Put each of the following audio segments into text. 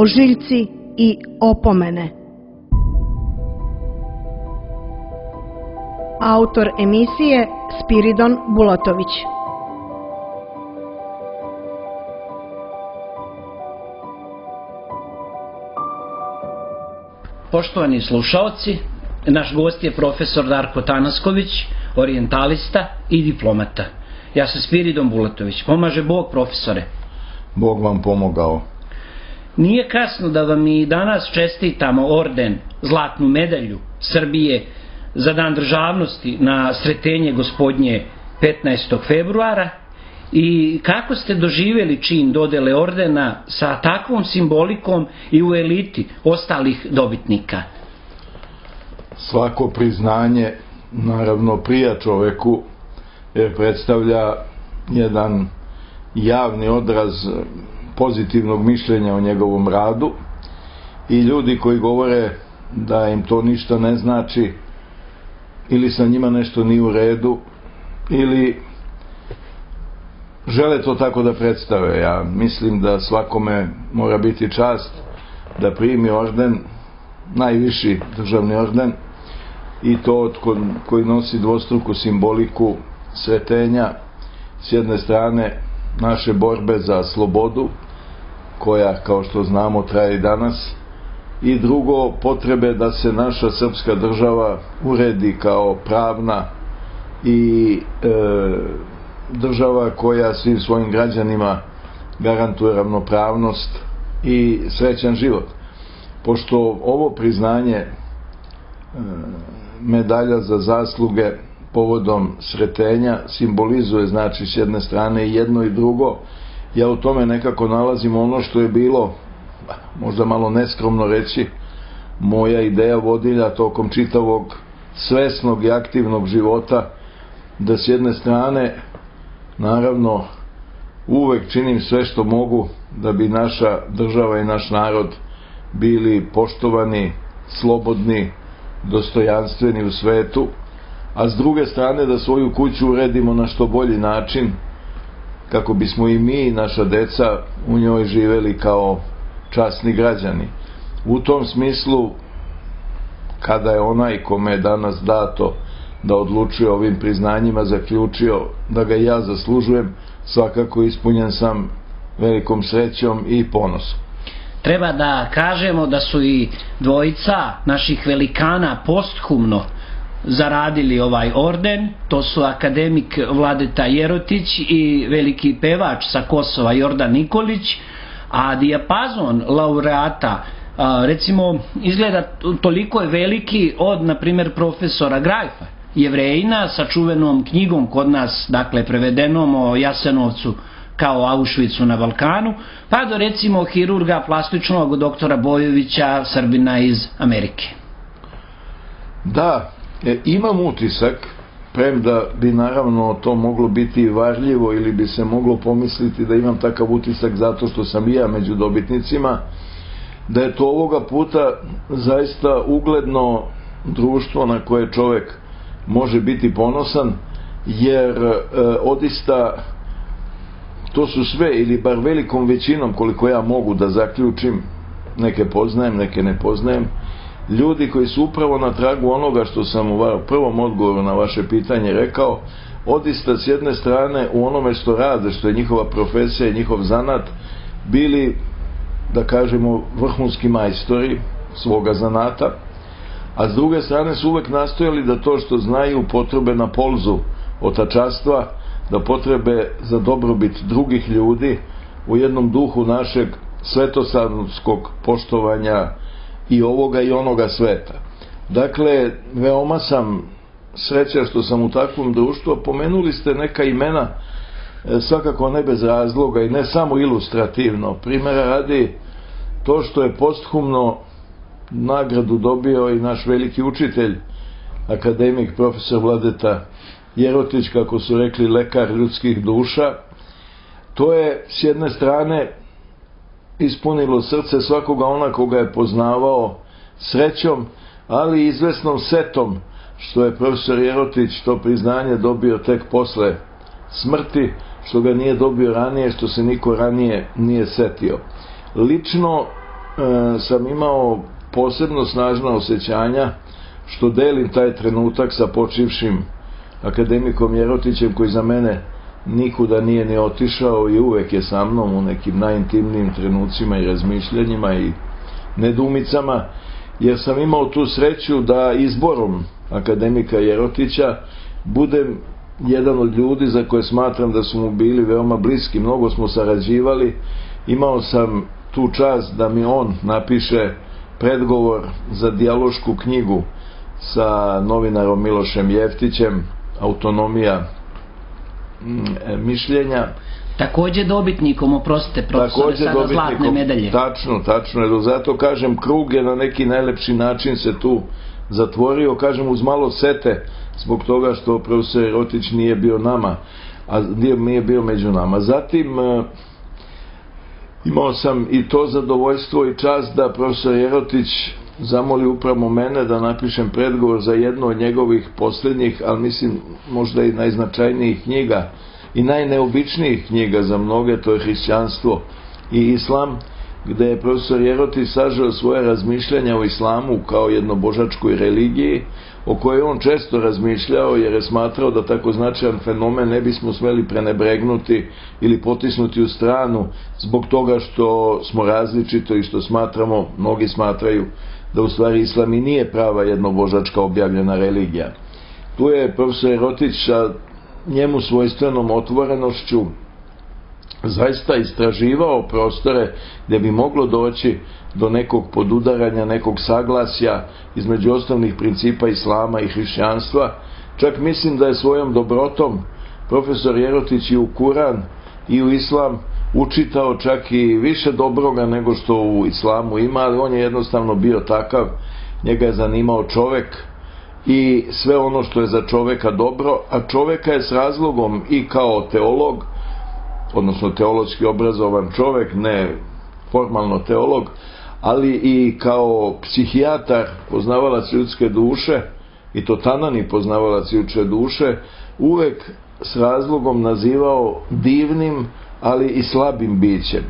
ožiljci i opomene. Autor emisije Spiridon Bulatović. Poštovani slušaoci, naš gost je profesor Darko Tanasković, orijentalista i diplomata. Ja sam Spiridon Bulatović. Pomaže Bog, profesore. Bog vam pomogao. Nije kasno da vam i danas čestitamo orden, zlatnu medalju Srbije za Dan državnosti na Sretenje Gospodnje 15. februara. I kako ste doživjeli čin dodele ordena sa takvom simbolikom i u eliti ostalih dobitnika? Svako priznanje naravno prija čoveku, jer predstavlja jedan javni odraz pozitivnog mišljenja o njegovom radu, i ljudi koji govore da im to ništa ne znači ili sa njima nešto nije u redu ili žele to tako da predstave. Ja mislim da svakome mora biti čast da primi orden, najviši državni orden, i to koji nosi dvostruku simboliku sretenja, s jedne strane naše borbe za slobodu, koja, kao što znamo, traje i danas, i drugo, potrebe da se naša srpska država uredi kao pravna i država koja svim svojim građanima garantuje ravnopravnost i srećan život. Pošto ovo priznanje medalja za zasluge povodom Sretenja simbolizuje, znači, s jedne strane i jedno i drugo, ja u tome nekako nalazim ono što je bilo, možda malo neskromno reći, moja ideja vodilja tokom čitavog svesnog i aktivnog života, da s jedne strane naravno uvek činim sve što mogu da bi naša država i naš narod bili poštovani, slobodni, dostojanstveni u svetu, a s druge strane da svoju kuću uredimo na što bolji način, kako bismo i mi i naša deca u njoj živeli kao časni građani. U tom smislu, kada je onaj kome je danas dato da odlučuje ovim priznanjima zaključio da ga ja zaslužujem, svakako ispunjen sam velikom srećom i ponosom. Treba da kažemo da su i dvojica naših velikana posthumno zaradili ovaj orden. To su akademik Vladeta Jerotić i veliki pevač sa Kosova Jordan Nikolić, a dijapazon laureata recimo izgleda toliko je veliki od, na primjer, profesora Grajfa, Jevrejina, sa čuvenom knjigom kod nas, dakle prevedenom, o Jasenovcu kao Auschwitzu na Balkanu, pa do recimo hirurga plastičnog doktora Bojovića, Srbina iz Amerike. Da, imam utisak, premda bi naravno to moglo biti varljivo ili bi se moglo pomisliti da imam takav utisak zato što sam i ja među dobitnicima, da je to ovoga puta zaista ugledno društvo na koje čovek može biti ponosan, jer odista to su sve, ili bar velikom većinom, koliko ja mogu da zaključim, neke poznajem, neke ne poznajem, ljudi koji su upravo na tragu onoga što sam u prvom odgovoru na vaše pitanje rekao, odista s jedne strane u onome što rade, što je njihova profesija i njihov zanat, bili, da kažemo, vrhunski majstori svoga zanata, a s druge strane su uvek nastojali da to što znaju potrebe na polzu otačastva, da potrebe za dobrobit drugih ljudi u jednom duhu našeg svetosavskog poštovanja i ovoga i onoga sveta. Dakle, veoma sam srećan što sam u takvom društvu. Pomenuli ste neka imena, svakako ne bez razloga i ne samo ilustrativno. Primera radi, to što je posthumno nagradu dobio i naš veliki učitelj, akademik profesor Vladeta Jerotić, kako su rekli, lekar ljudskih duša, to je s jedne strane ispunilo srce svakoga ona koga je poznavao srećom, ali i izvesnom setom što je profesor Jerotić to priznanje dobio tek posle smrti, što ga nije dobio ranije, što se niko ranije nije setio. Lično sam imao posebno snažna osjećanja što delim taj trenutak sa počivšim akademikom Jerotićem, koji za mene nikuda nije ni otišao i uvek je sa mnom u nekim najintimnijim trenucima i razmišljanjima i nedumicama, jer sam imao tu sreću da izborom akademika Jerotića budem jedan od ljudi za koje smatram da su mu bili veoma bliski. Mnogo smo sarađivali, imao sam tu čast da mi on napiše predgovor za dijalošku knjigu sa novinarom Milošem Jeftićem, Autonomija mišljenja. Takođe dobitnikom, oprostite profesore, sada zlatne medalje. Tačno, jer zato kažem, krug je na neki najlepši način se tu zatvorio, kažem uz malo sete zbog toga što profesor Jerotić nije bio nama, a nije bio među nama. Zatim imao sam i to zadovoljstvo i čast da profesor Jerotić zamoli upravo mene da napišem predgovor za jednu od njegovih posljednjih, ali mislim možda i najznačajnijih knjiga i najneobičnijih knjiga za mnoge, to je Hrišćanstvo i Islam, gde je profesor Jerotić sažeo svoje razmišljanja o islamu kao jednobožačkoj religiji, o kojoj on često razmišljao, jer je smatrao da tako značajan fenomen ne bismo smeli prenebregnuti ili potisnuti u stranu zbog toga što smo različito i što smatramo, mnogi smatraju da u stvari islam i nije prava jednobožačka objavljena religija. Tu je profesor Jerotić sa njemu svojstvenom otvorenošću zaista istraživao prostore gdje bi moglo doći do nekog podudaranja, nekog saglasja između osnovnih principa islama i hrišćanstva. Čak mislim da je svojom dobrotom profesor Jerotić i u Kuran i u islam učitao čak i više dobroga nego što u islamu ima, ali on je jednostavno bio takav, njega je zanimao čovek i sve ono što je za čoveka dobro, a čoveka je s razlogom i kao teolog, odnosno teološki obrazovan čovek, ne formalno teolog, ali i kao psihijatar, poznavalac ljudske duše, i to tanani poznavalac ljudske duše, uvek s razlogom nazivao divnim, ali i slabim bićem.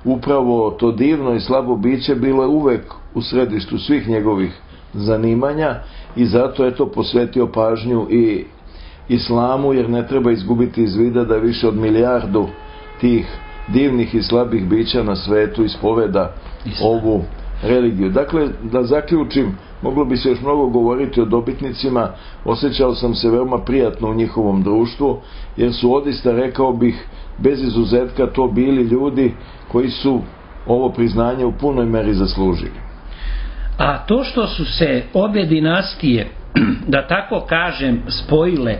Upravo to divno i slabo biće bilo je uvek u središtu svih njegovih zanimanja i zato je to posvetio pažnju i islamu, jer ne treba izgubiti iz vida da više od 1 milijardu tih divnih i slabih bića na svetu ispoveda ovu religiju. Dakle, da zaključim, moglo bi se još mnogo govoriti o dobitnicima, osjećao sam se veoma prijatno u njihovom društvu, jer su odista, rekao bih, bez izuzetka to bili ljudi koji su ovo priznanje u punoj meri zaslužili. A to što su se obje dinastije, da tako kažem, spojile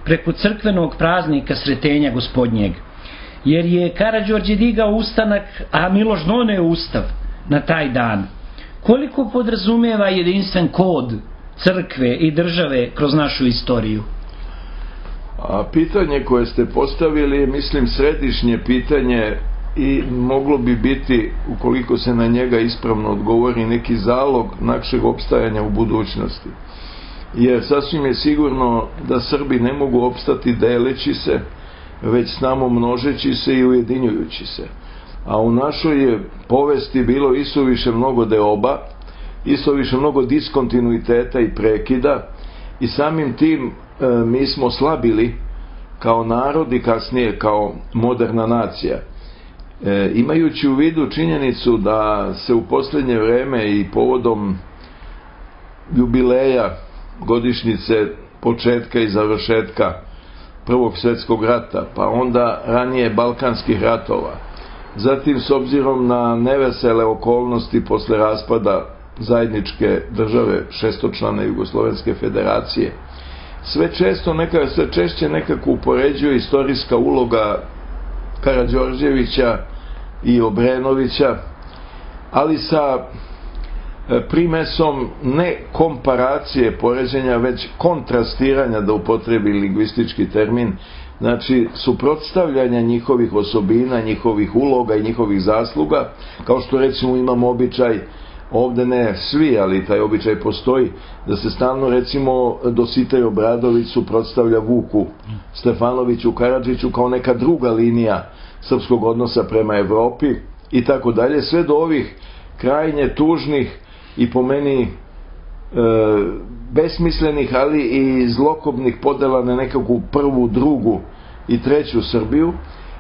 preko crkvenog praznika Sretenja Gospodnjeg, jer je Karađorđe digao ustanak, a Miloš doneo ustav na taj dan, koliko podrazumijeva jedinstven kod crkve i države kroz našu istoriju? A pitanje koje ste postavili je, mislim, središnje pitanje i moglo bi biti, ukoliko se na njega ispravno odgovori, neki zalog našeg opstajanja u budućnosti. Jer sasvim je sigurno da Srbi ne mogu opstati deleći se, već samo množeći se i ujedinjujući se. A u našoj je povesti bilo isuviše mnogo deoba, isuviše mnogo diskontinuiteta i prekida i samim tim mi smo slabili kao narod i kasnije kao moderna nacija. Imajući u vidu činjenicu da se u posljednje vreme i povodom jubileja godišnjice početka i završetka Prvog svjetskog rata, pa onda ranije Balkanskih ratova, zatim s obzirom na nevesele okolnosti posle raspada zajedničke države šestočlane Jugoslovenske federacije, sve češće nekako upoređuje istorijska uloga Karađorđevića i Obrenovića, ali sa primesom ne komparacije poređenja, već kontrastiranja, da upotrebi lingvistički termin, znači suprotstavljanja njihovih osobina, njihovih uloga i njihovih zasluga, kao što recimo imamo običaj, ovde ne svi, ali taj običaj postoji, da se stalno recimo Dositej Obradović suprotstavlja Vuku Stefanoviću Karadžiću kao neka druga linija srpskog odnosa prema Evropi i tako dalje, sve do ovih krajnje tužnih i po meni besmislenih, ali i zlokobnih podela na nekakvu prvu, drugu i treću Srbiju.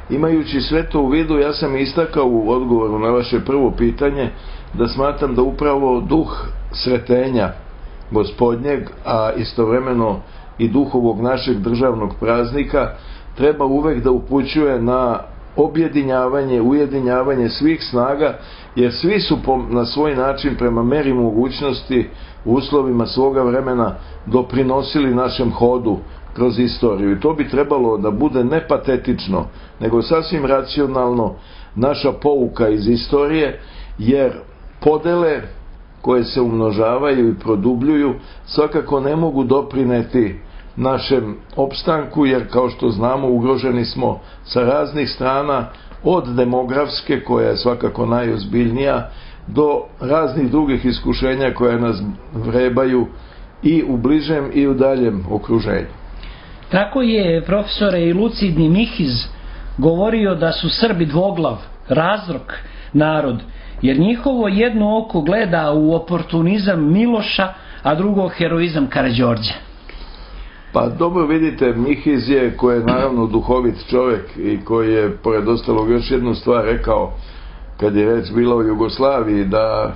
Imajući sve to u vidu, ja sam istakao u odgovoru na vaše prvo pitanje da smatram da upravo duh sretenja gospodnjeg, a istovremeno i duh ovog našeg državnog praznika treba uvek da upućuje na objedinjavanje, ujedinjavanje svih snaga, jer svi su na svoj način prema meri mogućnosti u uslovima svoga vremena doprinosili našem hodu kroz istoriju. I to bi trebalo da bude ne patetično, nego sasvim racionalno naša pouka iz istorije, jer podele koje se umnožavaju i produbljuju svakako ne mogu doprineti našem opstanku, jer kao što znamo ugroženi smo sa raznih strana, od demografske, koja je svakako najozbiljnija, do raznih drugih iskušenja koja nas vrebaju i u bližem i u daljem okruženju. Tako je, profesore, i lucidni Mihiz govorio da su Srbi dvoglav, razrok narod, jer njihovo jedno oko gleda u oportunizam Miloša, a drugo heroizam Karađorđa. Pa dobro, vidite, Mihiz je, koji je naravno duhovit čovjek i koji je, pored ostalog, još jednu stvar rekao kad je reč bila o Jugoslaviji, da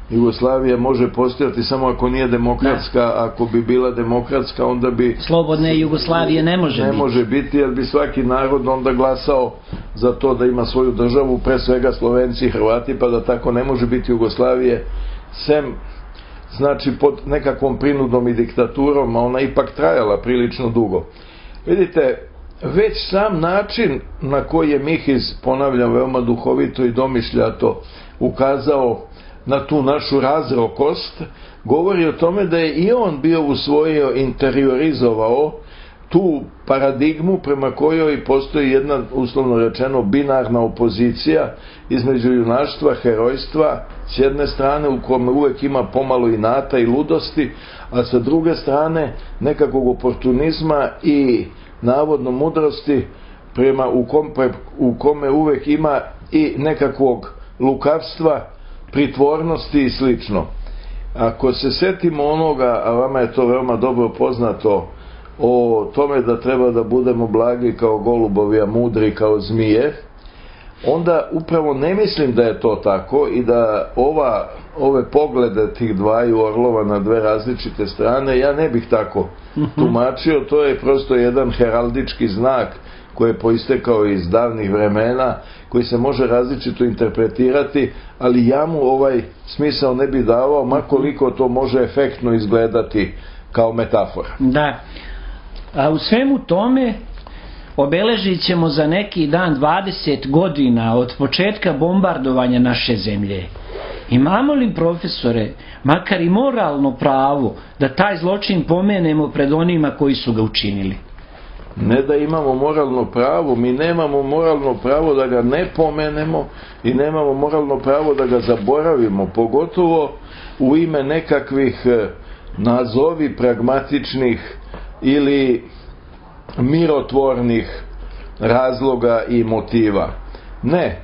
Jugoslavija može postojati samo ako nije demokratska, ako bi bila demokratska onda bi... Slobodne Jugoslavije ne može biti, jer bi svaki narod onda glasao za to da ima svoju državu, pre svega Slovenci i Hrvati, pa da tako ne može biti Jugoslavije, sem znači pod nekakvom prinudom i diktaturom, a ona ipak trajala prilično dugo. Vidite, već sam način na koji je Mihiz, ponavljam, veoma duhovito i domišljato ukazao na tu našu razrokost, govori o tome da je i on bio usvojio, interiorizovao tu paradigmu prema kojoj postoji jedna, uslovno rečeno, binarna opozicija između junaštva, herojstva s jedne strane, u kome uvek ima pomalo inata i ludosti, a sa druge strane nekakvog oportunizma i navodno mudrosti, u kome uvek ima i nekakvog lukavstva, pritvornosti i slično. Ako se setimo onoga, a vama je to veoma dobro poznato, o tome da treba da budemo blagi kao golubovi, a mudri kao zmije, onda upravo ne mislim da je to tako i da ove poglede tih dvaju orlova na dve različite strane ja ne bih tako tumačio. To je prosto jedan heraldički znak koji je poistekao iz davnih vremena, koji se može različito interpretirati, ali ja mu ovaj smisao ne bi davao, makoliko to može efektno izgledati kao metafora. Da, a u svemu tome obeležit ćemo za neki dan 20 godina od početka bombardovanja naše zemlje. Imamo li, profesore, makar i moralno pravo da taj zločin pomenemo pred onima koji su ga učinili? Ne da imamo moralno pravo, mi nemamo moralno pravo da ga ne pomenemo i nemamo moralno pravo da ga zaboravimo, pogotovo u ime nekakvih nazovi pragmatičnih ili mirotvornih razloga i motiva. Ne,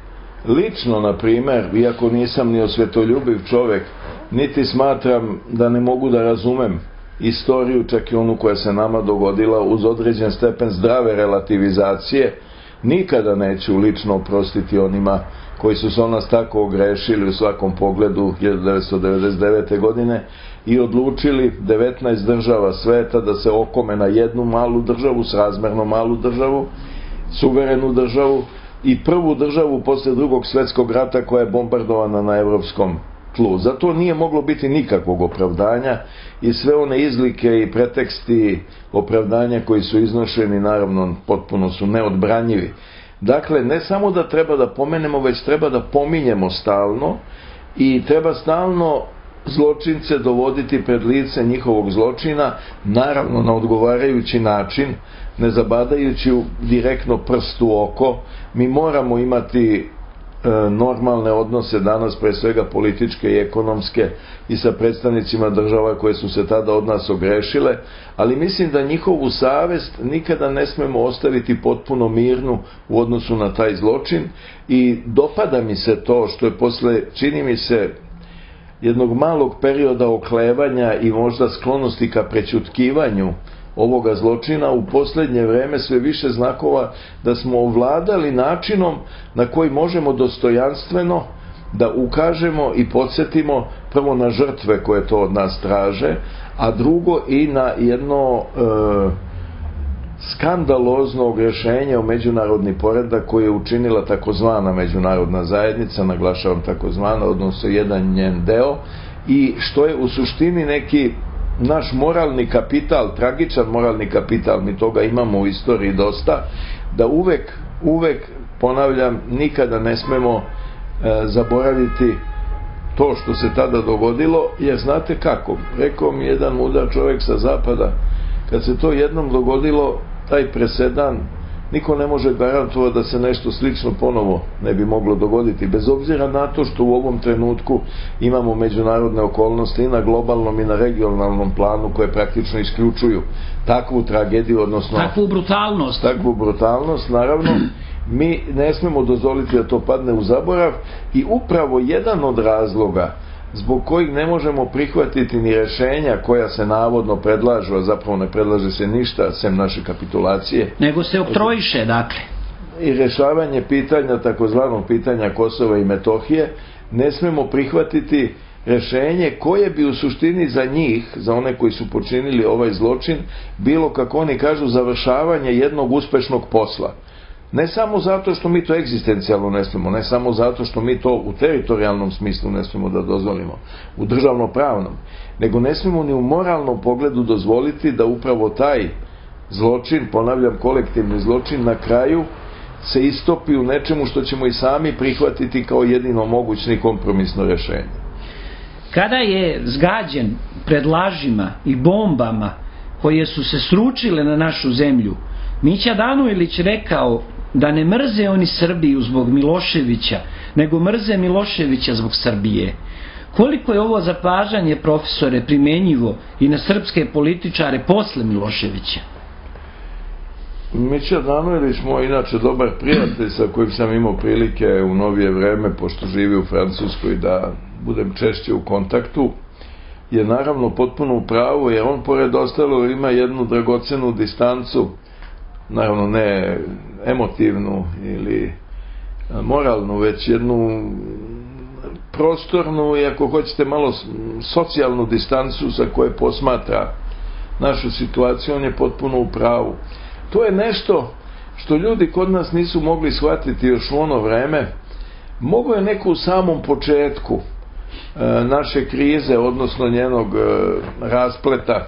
lično, na primer, iako nisam ni osvetoljubiv čovek, niti smatram da ne mogu da razumem istoriju, čak i onu koja se nama dogodila, uz određen stepen zdrave relativizacije, nikada neću lično oprostiti onima koji su se o nas tako ogrešili u svakom pogledu 1999. godine i odlučili 19 država sveta da se okome na jednu malu državu, srazmerno malu državu, suverenu državu i prvu državu posle Drugog svetskog rata koja je bombardovana na evropskom tlu. Zato nije moglo biti nikakvog opravdanja i sve one izlike i preteksti opravdanja koji su iznošeni, naravno, potpuno su neodbranjivi. Dakle, ne samo da treba da pomenemo, već treba da pominjemo stalno i treba stalno zločince dovoditi pred lice njihovog zločina, naravno na odgovarajući način, ne zabadajući direktno prst u oko. Mi moramo imati normalne odnose danas, pre svega političke i ekonomske, i sa predstavnicima država koje su se tada od nas ogrešile, ali mislim da njihovu savest nikada ne smemo ostaviti potpuno mirnu u odnosu na taj zločin, i dopada mi se to što je posle, čini mi se, jednog malog perioda oklevanja i možda sklonosti ka prećutkivanju ovoga zločina, u posljednje vreme sve više znakova da smo ovladali načinom na koji možemo dostojanstveno da ukažemo i podsjetimo prvo na žrtve koje to od nas traže, a drugo i na jedno skandalozno ogrešenje o međunarodni poredak koji je učinila takozvana međunarodna zajednica, naglašavam takozvana, odnosno jedan njen deo, i što je u suštini neki naš moralni kapital, tragičan moralni kapital, mi toga imamo u istoriji dosta, da uvek, ponavljam, nikada ne smemo zaboraviti to što se tada dogodilo, jer znate kako, rekao mi jedan mudar čovjek sa zapada, kad se to jednom dogodilo, taj presedan, niko ne može garantovati da se nešto slično ponovo ne bi moglo dogoditi, bez obzira na to što u ovom trenutku imamo međunarodne okolnosti i na globalnom i na regionalnom planu koje praktično isključuju takvu tragediju, odnosno takvu brutalnost, naravno. Mi ne smemo dozvoliti da to padne u zaborav, i upravo jedan od razloga zbog kojih ne možemo prihvatiti ni rješenja koja se navodno predlažu, a zapravo ne predlaže se ništa sem naše kapitulacije, nego se oktrojiše, dakle, i rješavanje pitanja, takozvanog pitanja Kosova i Metohije, ne smemo prihvatiti rješenje koje bi u suštini za njih, za one koji su počinili ovaj zločin, bilo, kako oni kažu, završavanje jednog uspešnog posla. Ne samo zato što mi to egzistencijalno ne smemo, ne samo zato što mi to u teritorijalnom smislu ne smemo da dozvolimo, u državno-pravnom, nego ne smemo ni u moralnom pogledu dozvoliti da upravo taj zločin, ponavljam, kolektivni zločin, na kraju se istopi u nečemu što ćemo i sami prihvatiti kao jedino mogućno i kompromisno rješenje. Kada je zgađen pred lažima i bombama koje su se sručile na našu zemlju, Mića Danujlić rekao da ne mrze oni Srbiju zbog Miloševića, nego mrze Miloševića zbog Srbije. Koliko je ovo zapažanje, profesore, primenjivo i na srpske političare posle Miloševića? Mića Danujlić, moj inače dobar prijatelj sa kojim sam imao prilike u novije vreme, pošto živi u Francuskoj, da budem češće u kontaktu, je naravno potpuno u pravu, jer on pored ostalo ima jednu dragocenu distancu, naravno ne emotivnu ili moralnu, već jednu prostornu i, ako hoćete, malo socijalnu distancu sa koje posmatra našu situaciju. On je potpuno u pravu. To je nešto što ljudi kod nas nisu mogli shvatiti još u ono vreme. Mogo je neko u samom početku naše krize, odnosno njenog raspleta,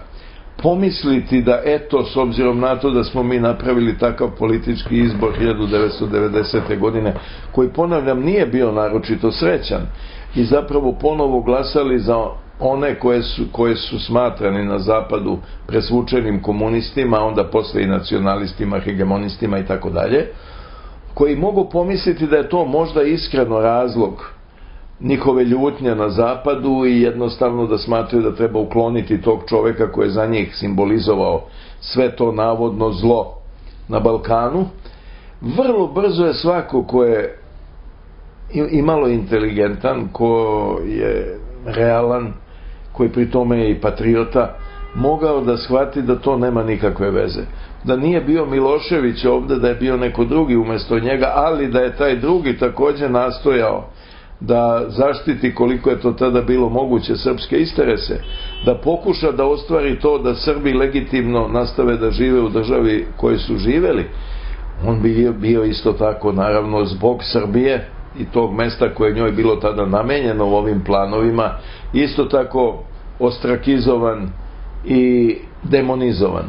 pomisliti da eto, s obzirom na to da smo mi napravili takav politički izbor 1990. godine, koji, ponavljam, nije bio naročito srećan, i zapravo ponovo glasali za one koje su smatrani na zapadu presvučenim komunistima, onda posle i nacionalistima, hegemonistima i tako dalje, koji mogu pomisliti da je to možda iskreno razlog njihove ljutnje na zapadu i jednostavno da smatraju da treba ukloniti tog čoveka koji je za njih simbolizovao sve to navodno zlo na Balkanu. Vrlo brzo je svako ko je imalo inteligentan, ko je realan, koji pri tome je i patriota, mogao da shvati da to nema nikakve veze. Da nije bio Milošević ovde, da je bio neko drugi umesto njega, ali da je taj drugi takođe nastojao da zaštiti, koliko je to tada bilo moguće, srpske interese, da pokuša da ostvari to da Srbi legitimno nastave da žive u državi koje su živeli, on bi bio isto tako, naravno, zbog Srbije i tog mesta koje je njoj bilo tada namenjeno u ovim planovima, isto tako ostrakizovan i demonizovan.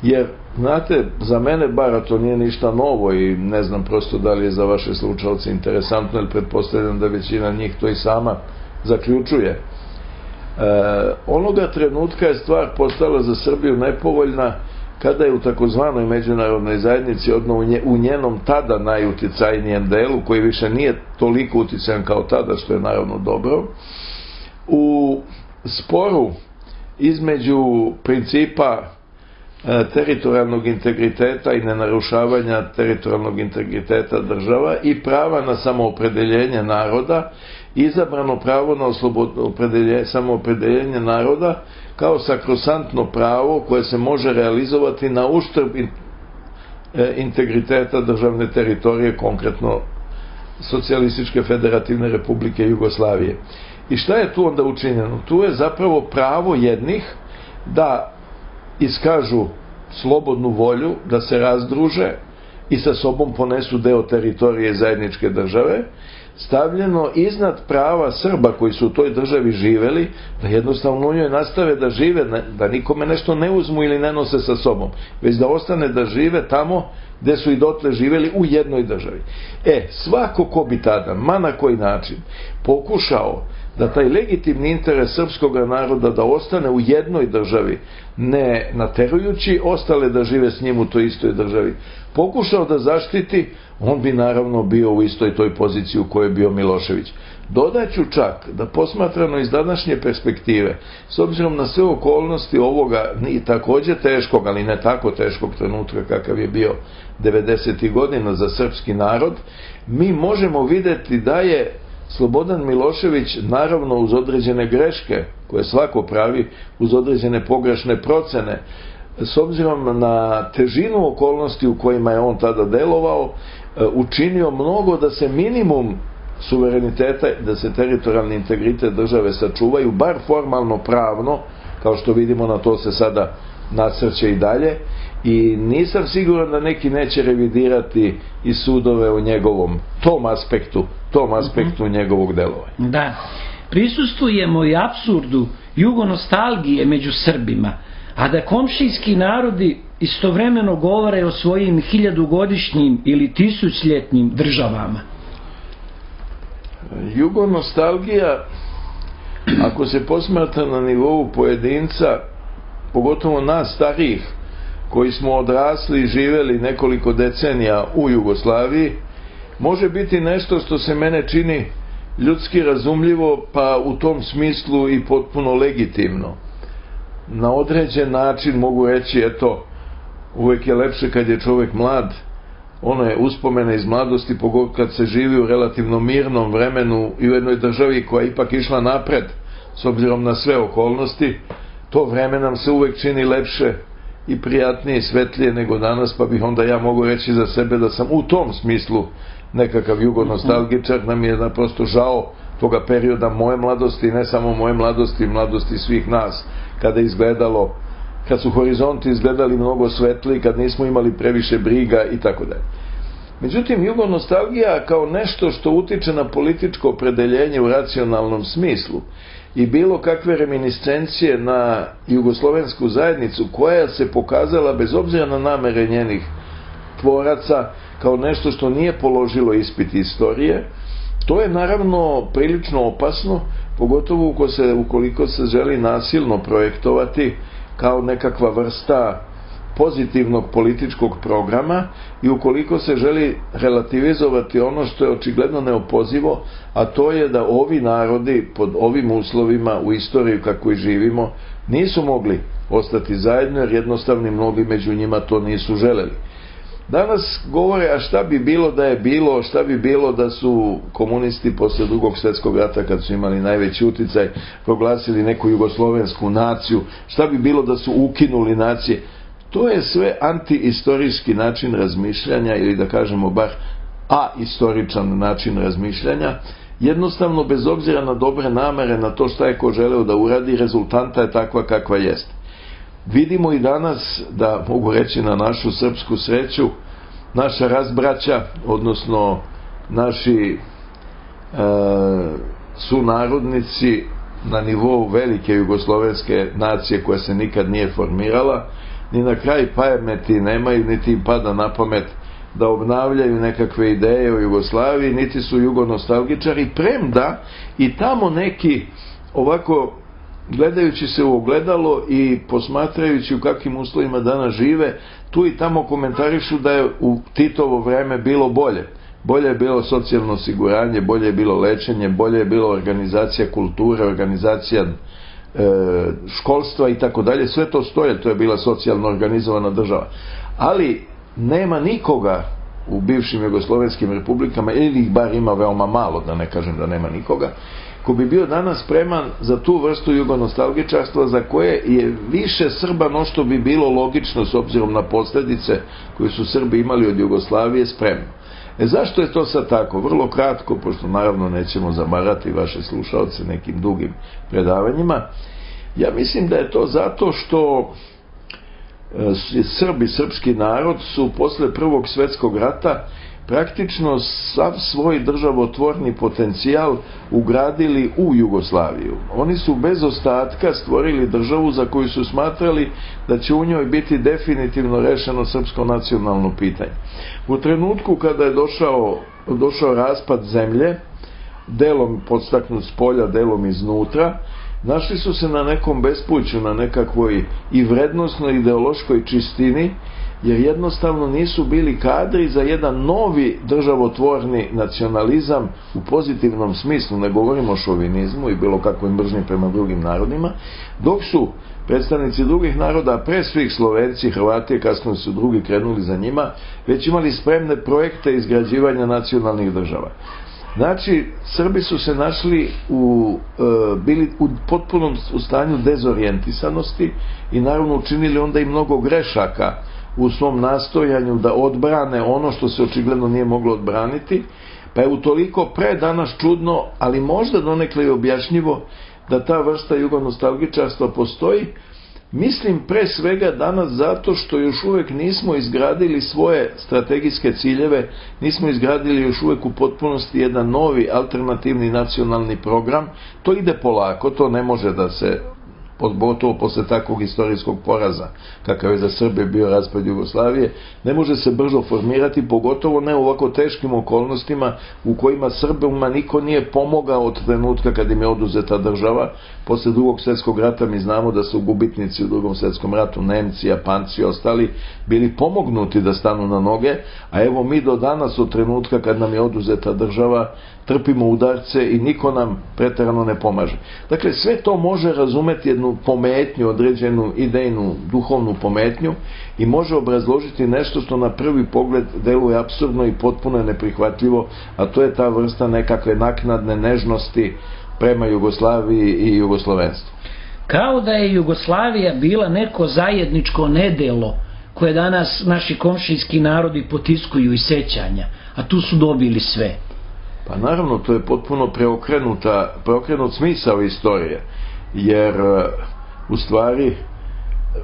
Jer, znate, za mene bar to nije ništa novo i ne znam prosto da li je za vaše slušalce interesantno, jer pretpostavljam da većina njih to i sama zaključuje. Onoga trenutka je stvar postala za Srbiju nepovoljna kada je u takozvanoj međunarodnoj zajednici, odnosno u njenom tada najuticajnijem delu, koji više nije toliko uticajan kao tada, što je naravno dobro, u sporu između principa teritorijalnog integriteta i nenarušavanja teritorijalnog integriteta država i prava na samoopredeljenje naroda, izabrano pravo na samoopredeljenje naroda kao sakrosantno pravo koje se može realizovati na uštrb integriteta državne teritorije, konkretno Socijalističke federativne republike Jugoslavije. I šta je tu onda učinjeno? Tu je zapravo pravo jednih da iskažu slobodnu volju, da se razdruže i sa sobom ponesu deo teritorije zajedničke države, stavljeno iznad prava Srba koji su u toj državi živeli, da jednostavno u njoj nastave da žive, da nikome nešto ne uzmu ili ne nose sa sobom, već da ostane da žive tamo gde su i dotle živeli, u jednoj državi. Svako ko bi tada, ma na koji način, pokušao da taj legitimni interes srpskog naroda da ostane u jednoj državi, ne naterujući ostale da žive s njim u toj istoj državi, pokušao da zaštiti, on bi naravno bio u istoj toj poziciji u kojoj je bio Milošević. Dodaću čak da posmatrano iz današnje perspektive, s obzirom na sve okolnosti ovoga takođe teškog, ali ne tako teškog trenutka kakav je bio 90. godina za srpski narod, mi možemo videti da je Slobodan Milošević, naravno uz određene greške koje svako pravi, uz određene pogrešne procene, s obzirom na težinu okolnosti u kojima je on tada delovao, učinio mnogo da se minimum suvereniteta, da se teritorijalni integritet države sačuvaju, bar formalno pravno, kao što vidimo, na to se sada nasrće i dalje, i nisam siguran da neki neće revidirati i sudove o njegovom tom aspektu njegovog delovanja. Da, prisustujemo i apsurdu jugonostalgije među Srbima, a da komšijski narodi istovremeno govore o svojim 1000-godišnjim ili 1000-ljetnim državama. Jugonostalgija, ako se posmatra na nivou pojedinca, pogotovo nas starijih, koji smo odrasli i živeli nekoliko decenija u Jugoslaviji, može biti nešto što se mene čini ljudski razumljivo, pa u tom smislu i potpuno legitimno. Na određen način mogu reći, uvek je lepše kad je čovjek mlad, one uspomene iz mladosti, pogotovo kad se živi u relativno mirnom vremenu i u jednoj državi koja je ipak išla napred, s obzirom na sve okolnosti, to vreme nam se uvek čini lepše i prijatnije i svetlije nego danas, pa bih onda ja mogu reći za sebe da sam u tom smislu nekakav jugonostalgičar, nam je naprosto žao toga perioda moje mladosti, ne samo moje mladosti, mladosti svih nas, kad su horizonti izgledali mnogo svetliji, kad nismo imali previše briga i tako dalje. Međutim, jugonostalgija kao nešto što utiče na političko opredeljenje u racionalnom smislu i bilo kakve reminiscencije na jugoslovensku zajednicu, koja se pokazala, bez obzira na namere njenih tvoraca, kao nešto što nije položilo ispit istorije, to je naravno prilično opasno, pogotovo ukoliko se želi nasilno projektovati kao nekakva vrsta pozitivnog političkog programa i ukoliko se želi relativizovati ono što je očigledno neopozivo, a to je da ovi narodi pod ovim uslovima u istoriji kako i živimo nisu mogli ostati zajedno, jer jednostavno mnogi među njima to nisu želeli. Danas govore, a šta bi bilo da je bilo, šta bi bilo da su komunisti posle Drugog svjetskog rata, kad su imali najveći uticaj, proglasili neku jugoslovensku naciju, šta bi bilo da su ukinuli nacije. To je sve antiistorijski način razmišljanja, ili da kažemo bar aistoričan način razmišljanja. Jednostavno, bez obzira na dobre namere, na to šta je ko želeo da uradi, rezultanta je takva kakva jeste. Vidimo i danas, da mogu reći na našu srpsku sreću, naša razbraća, odnosno naši sunarodnici na nivou velike jugoslovenske nacije koja se nikad nije formirala, ni na kraj pameti nemaju, niti im pada na pamet da obnavljaju nekakve ideje o Jugoslaviji, niti su jugonostalgičari, premda i tamo neki ovako gledajući se u ogledalo i posmatrajući u kakvim uslovima danas žive, tu i tamo komentarišu da je u Titovo vreme bilo bolje. Bolje je bilo socijalno osiguranje, bolje je bilo lečenje, bolje je bilo organizacija kulture, organizacija školstva i tako dalje. Sve to stoje, to je bila socijalno organizovana država. Ali nema nikoga u bivšim jugoslovenskim republikama, ili ih bar ima veoma malo, da ne kažem da nema nikoga, ko bi bio danas spreman za tu vrstu jugonostalgičarstva za koje je više Srba no što bi bilo logično s obzirom na posljedice koje su Srbi imali od Jugoslavije spremno. Zašto je to sad tako? Vrlo kratko, pošto naravno nećemo zamarati vaše slušalce nekim dugim predavanjima. Ja mislim da je to zato što Srbi, srpski narod su posle Prvog svjetskog rata praktično sav svoj državotvorni potencijal ugradili u Jugoslaviju. Oni su bez ostatka stvorili državu za koju su smatrali da će u njoj biti definitivno rešeno srpsko nacionalno pitanje. U trenutku kada je došao raspad zemlje, delom podstaknut s polja, delom iznutra, našli su se na nekom bespuću, na nekakvoj i vrednosnoj ideološkoj čistini, jer jednostavno nisu bili kadri za jedan novi državotvorni nacionalizam u pozitivnom smislu, ne govorimo o šovinizmu i bilo kakvoj mržnji prema drugim narodima, dok su predstavnici drugih naroda, pre svih Slovenci, Hrvati, kasnije su drugi krenuli za njima, već imali spremne projekte izgrađivanja nacionalnih država. Znači, Srbi su se našli bili u potpunom stanju dezorijentisanosti i naravno učinili onda i mnogo grešaka u svom nastojanju da odbrane ono što se očigledno nije moglo odbraniti, pa je utoliko danas čudno, ali možda donekle i objašnjivo, da ta vrsta jugonostalgičarstva postoji. Mislim pre svega danas zato što još uvek nismo izgradili svoje strategijske ciljeve, nismo izgradili još uvek u potpunosti jedan novi alternativni nacionalni program. To ide polako, to ne može da se, pogotovo posle takvog istorijskog poraza kakav je za Srbe bio raspad Jugoslavije, ne može se brzo formirati, pogotovo ne u ovako teškim okolnostima u kojima Srbima niko nije pomogao od trenutka kad im je oduzeta država. Posle Drugog svjetskog rata mi znamo da su gubitnici u Drugom svjetskom ratu, Nemci, Japanci i ostali, bili pomognuti da stanu na noge, a evo mi do danas od trenutka kad nam je oduzeta država trpimo udarce i niko nam preterano ne pomaže. Dakle, sve to može razumeti jednu pometnju, određenu idejnu, duhovnu pometnju i može obrazložiti nešto što na prvi pogled deluje apsurdno i potpuno je neprihvatljivo, a to je ta vrsta nekakve naknadne nežnosti prema Jugoslaviji i jugoslovenstvu. Kao da je Jugoslavija bila neko zajedničko nedelo koje danas naši komšijski narodi potiskuju iz sećanja, a tu su dobili sve. Pa naravno, to je potpuno preokrenut smisao istorije, jer u stvari,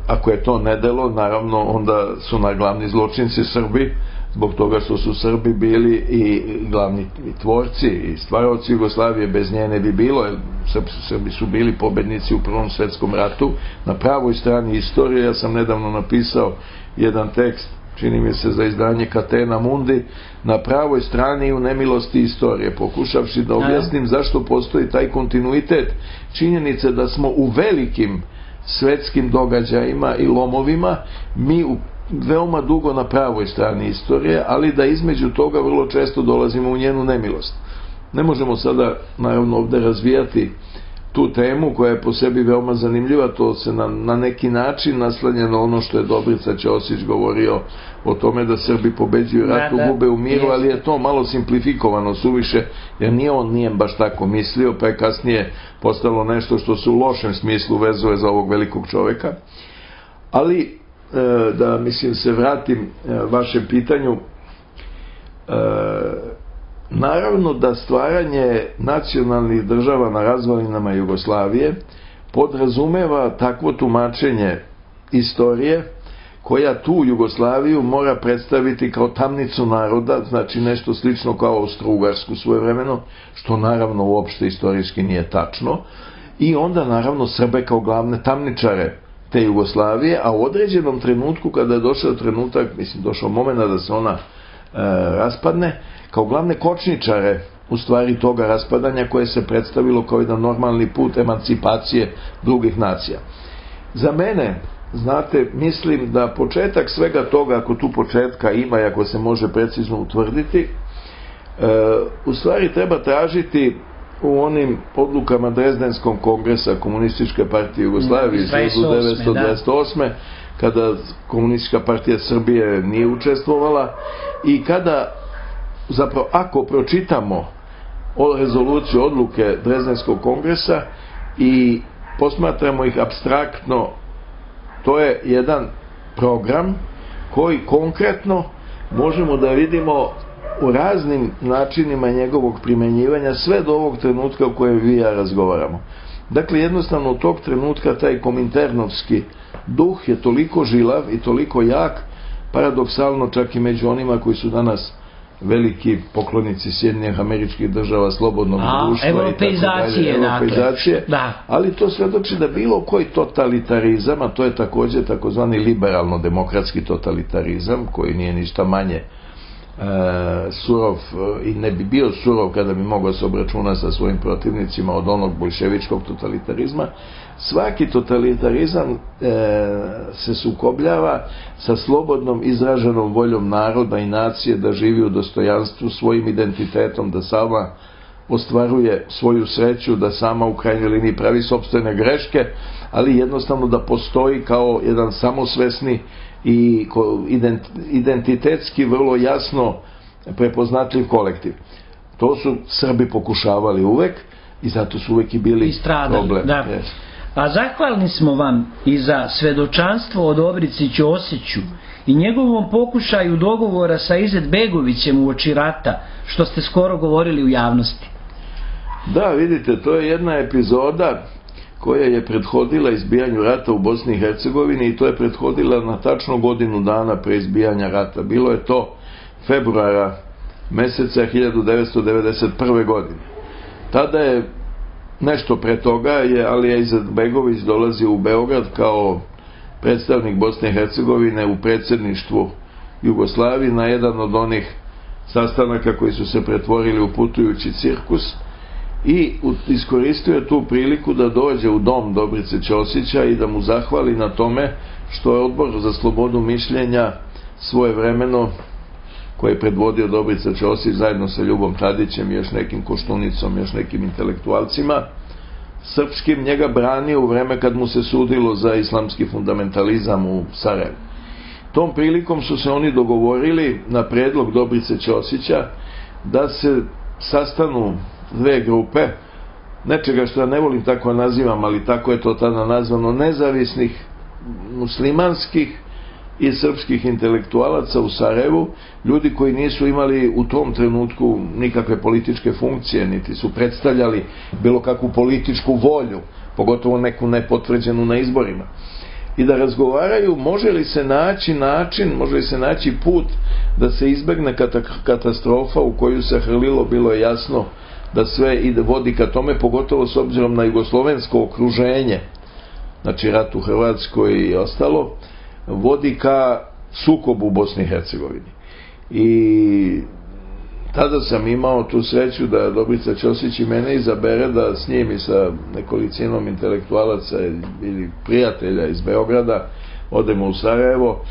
ako je to nedelo, naravno onda su glavni zločinci Srbi, zbog toga što su Srbi bili i glavni tvorci i stvaraoci Jugoslavije, bez nje ne bi bilo, jer Srbi su bili pobednici u Prvom svjetskom ratu. Na pravoj strani istorije, ja sam nedavno napisao jedan tekst, čini mi se za izdanje Catena Mundi, na pravoj strani u nemilosti istorije, pokušavši da objasnim zašto postoji taj kontinuitet činjenice da smo u velikim svetskim događajima i lomovima mi veoma dugo na pravoj strani istorije, ali da između toga vrlo često dolazimo u njenu nemilost. Ne možemo sada naravno ovde razvijati tu temu koja je po sebi veoma zanimljiva, to se na neki način naslanja na ono što je Dobrica Ćosić govorio o tome da Srbi pobeđuju ratu, gube u miru, ali je to malo simplifikovano suviše, jer nije baš tako mislio, pa je kasnije postalo nešto što se u lošem smislu vezuje za ovog velikog čoveka. Ali da se vratim vašem pitanju, naravno da stvaranje nacionalnih država na razvalinama Jugoslavije podrazumeva takvo tumačenje istorije koja tu Jugoslaviju mora predstaviti kao tamnicu naroda, znači nešto slično kao Austro-Ugarsku svojevremeno, što naravno uopšte istorijski nije tačno, i onda naravno Srbe kao glavne tamničare te Jugoslavije, a u određenom trenutku kada je došao trenutak, došao moment da se ona raspadne, kao glavne kočničare u stvari toga raspadanja koje se predstavilo kao jedan normalni put emancipacije drugih nacija. Za mene, znate, mislim da početak svega toga, ako tu početka ima i ako se može precizno utvrditi, u stvari treba tražiti u onim odlukama Drezdenskog kongresa Komunističke partije Jugoslavije iz 1928. kada Komunistička partija Srbije nije učestvovala i kada, zapravo, ako pročitamo rezoluciju odluke Drezdenskog kongresa i posmatramo ih apstraktno, to je jedan program koji konkretno možemo da vidimo u raznim načinima njegovog primenjivanja sve do ovog trenutka u kojem vi i ja razgovaramo. Dakle, jednostavno od tog trenutka taj kominternovski duh je toliko žilav i toliko jak, paradoksalno čak i među onima koji su danas veliki poklonici Sjedinjenih Američkih Država, slobodnog društva europeizacije, ali to svedoči da bilo koji totalitarizam, a to je također takozvani liberalno-demokratski totalitarizam, koji nije ništa manje surov i ne bi bio surov kada bi mogao se obračunati sa svojim protivnicima od onog bolševičkog totalitarizma. Svaki totalitarizam se sukobljava sa slobodnom izraženom voljom naroda i nacije da živi u dostojanstvu, svojim identitetom, da sama ostvaruje svoju sreću, da sama u krajnjoj liniji pravi sopstvene greške, ali jednostavno da postoji kao jedan samosvesni i identitetski vrlo jasno prepoznatljiv kolektiv. To su Srbi pokušavali uvek i zato su uvek i bili problem. A zahvalni smo vam i za svedočanstvo o Dobrici Ćosiću i njegovom pokušaju dogovora sa Izetbegovićem uoči rata, što ste skoro govorili u javnosti. Da, vidite, to je jedna epizoda koja je prethodila izbijanju rata u Bosni i Hercegovini i to je prethodila na tačno godinu dana pre izbijanja rata. Bilo je to februara meseca 1991. godine. Tada je nešto pre toga je Alija Izetbegović dolazio u Beograd kao predstavnik Bosne i Hercegovine u predsjedništvu Jugoslavije na jedan od onih sastanaka koji su se pretvorili u putujući cirkus i iskoristio je tu priliku da dođe u dom Dobrice Ćosića i da mu zahvali na tome što je Odbor za slobodu mišljenja svojevremeno, koje je predvodio Dobrica Ćosić zajedno sa Ljubom Tadićem i još nekim Koštunicom, još nekim intelektualcima srpskim, njega branio u vreme kad mu se sudilo za islamski fundamentalizam u Sarajevu. Tom prilikom su se oni dogovorili na predlog Dobrice Ćosića da se sastanu dve grupe, nečega što ja ne volim tako nazivam, ali tako je to tada nazvano, nezavisnih muslimanskih i srpskih intelektualaca u Sarajevu, ljudi koji nisu imali u tom trenutku nikakve političke funkcije, niti su predstavljali bilo kakvu političku volju, pogotovo neku nepotvrđenu na izborima. I da razgovaraju može li se naći način, može li se naći put da se izbegne katastrofa u koju se hrlilo, bilo je jasno da sve vodi ka tome, pogotovo s obzirom na jugoslovensko okruženje, znači rat u Hrvatskoj i ostalo, vodi ka sukobu u Bosni i Hercegovini. I tada sam imao tu sreću da Dobrica Ćosić i mene izabere da s njim i sa nekolicinom intelektualaca ili prijatelja iz Beograda odemo u Sarajevo.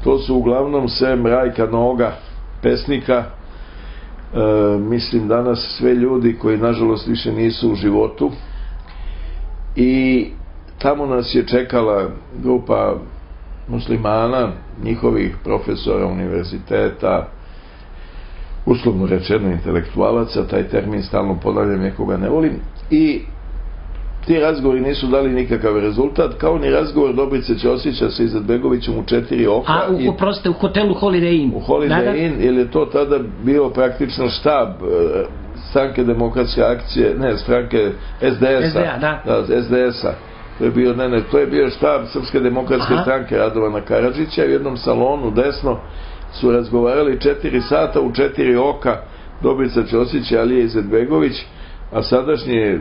To su uglavnom sem Rajka Noga, pesnika, mislim danas sve ljudi koji nažalost više nisu u životu, i tamo nas je čekala grupa muslimana, njihovih profesora univerziteta, uslovno rečeno intelektualaca, taj termin stalno ponavljam, nekoga ne volim, i ti razgovori nisu dali nikakav rezultat, kao ni razgovor Dobrice Ćosića sa Izetbegovićem u 4 oka. U hotelu Holiday Inn. U Holiday Inn, jer je to tada bio praktično štab stranke demokratske akcije, ne, stranke SDS-a. To je bio štab Srpske demokratske stranke Radovana Karadžića. U jednom salonu desno su razgovarali 4 sata u 4 oka Dobrica Ćosić i Alija Izetbegović, a sadašnji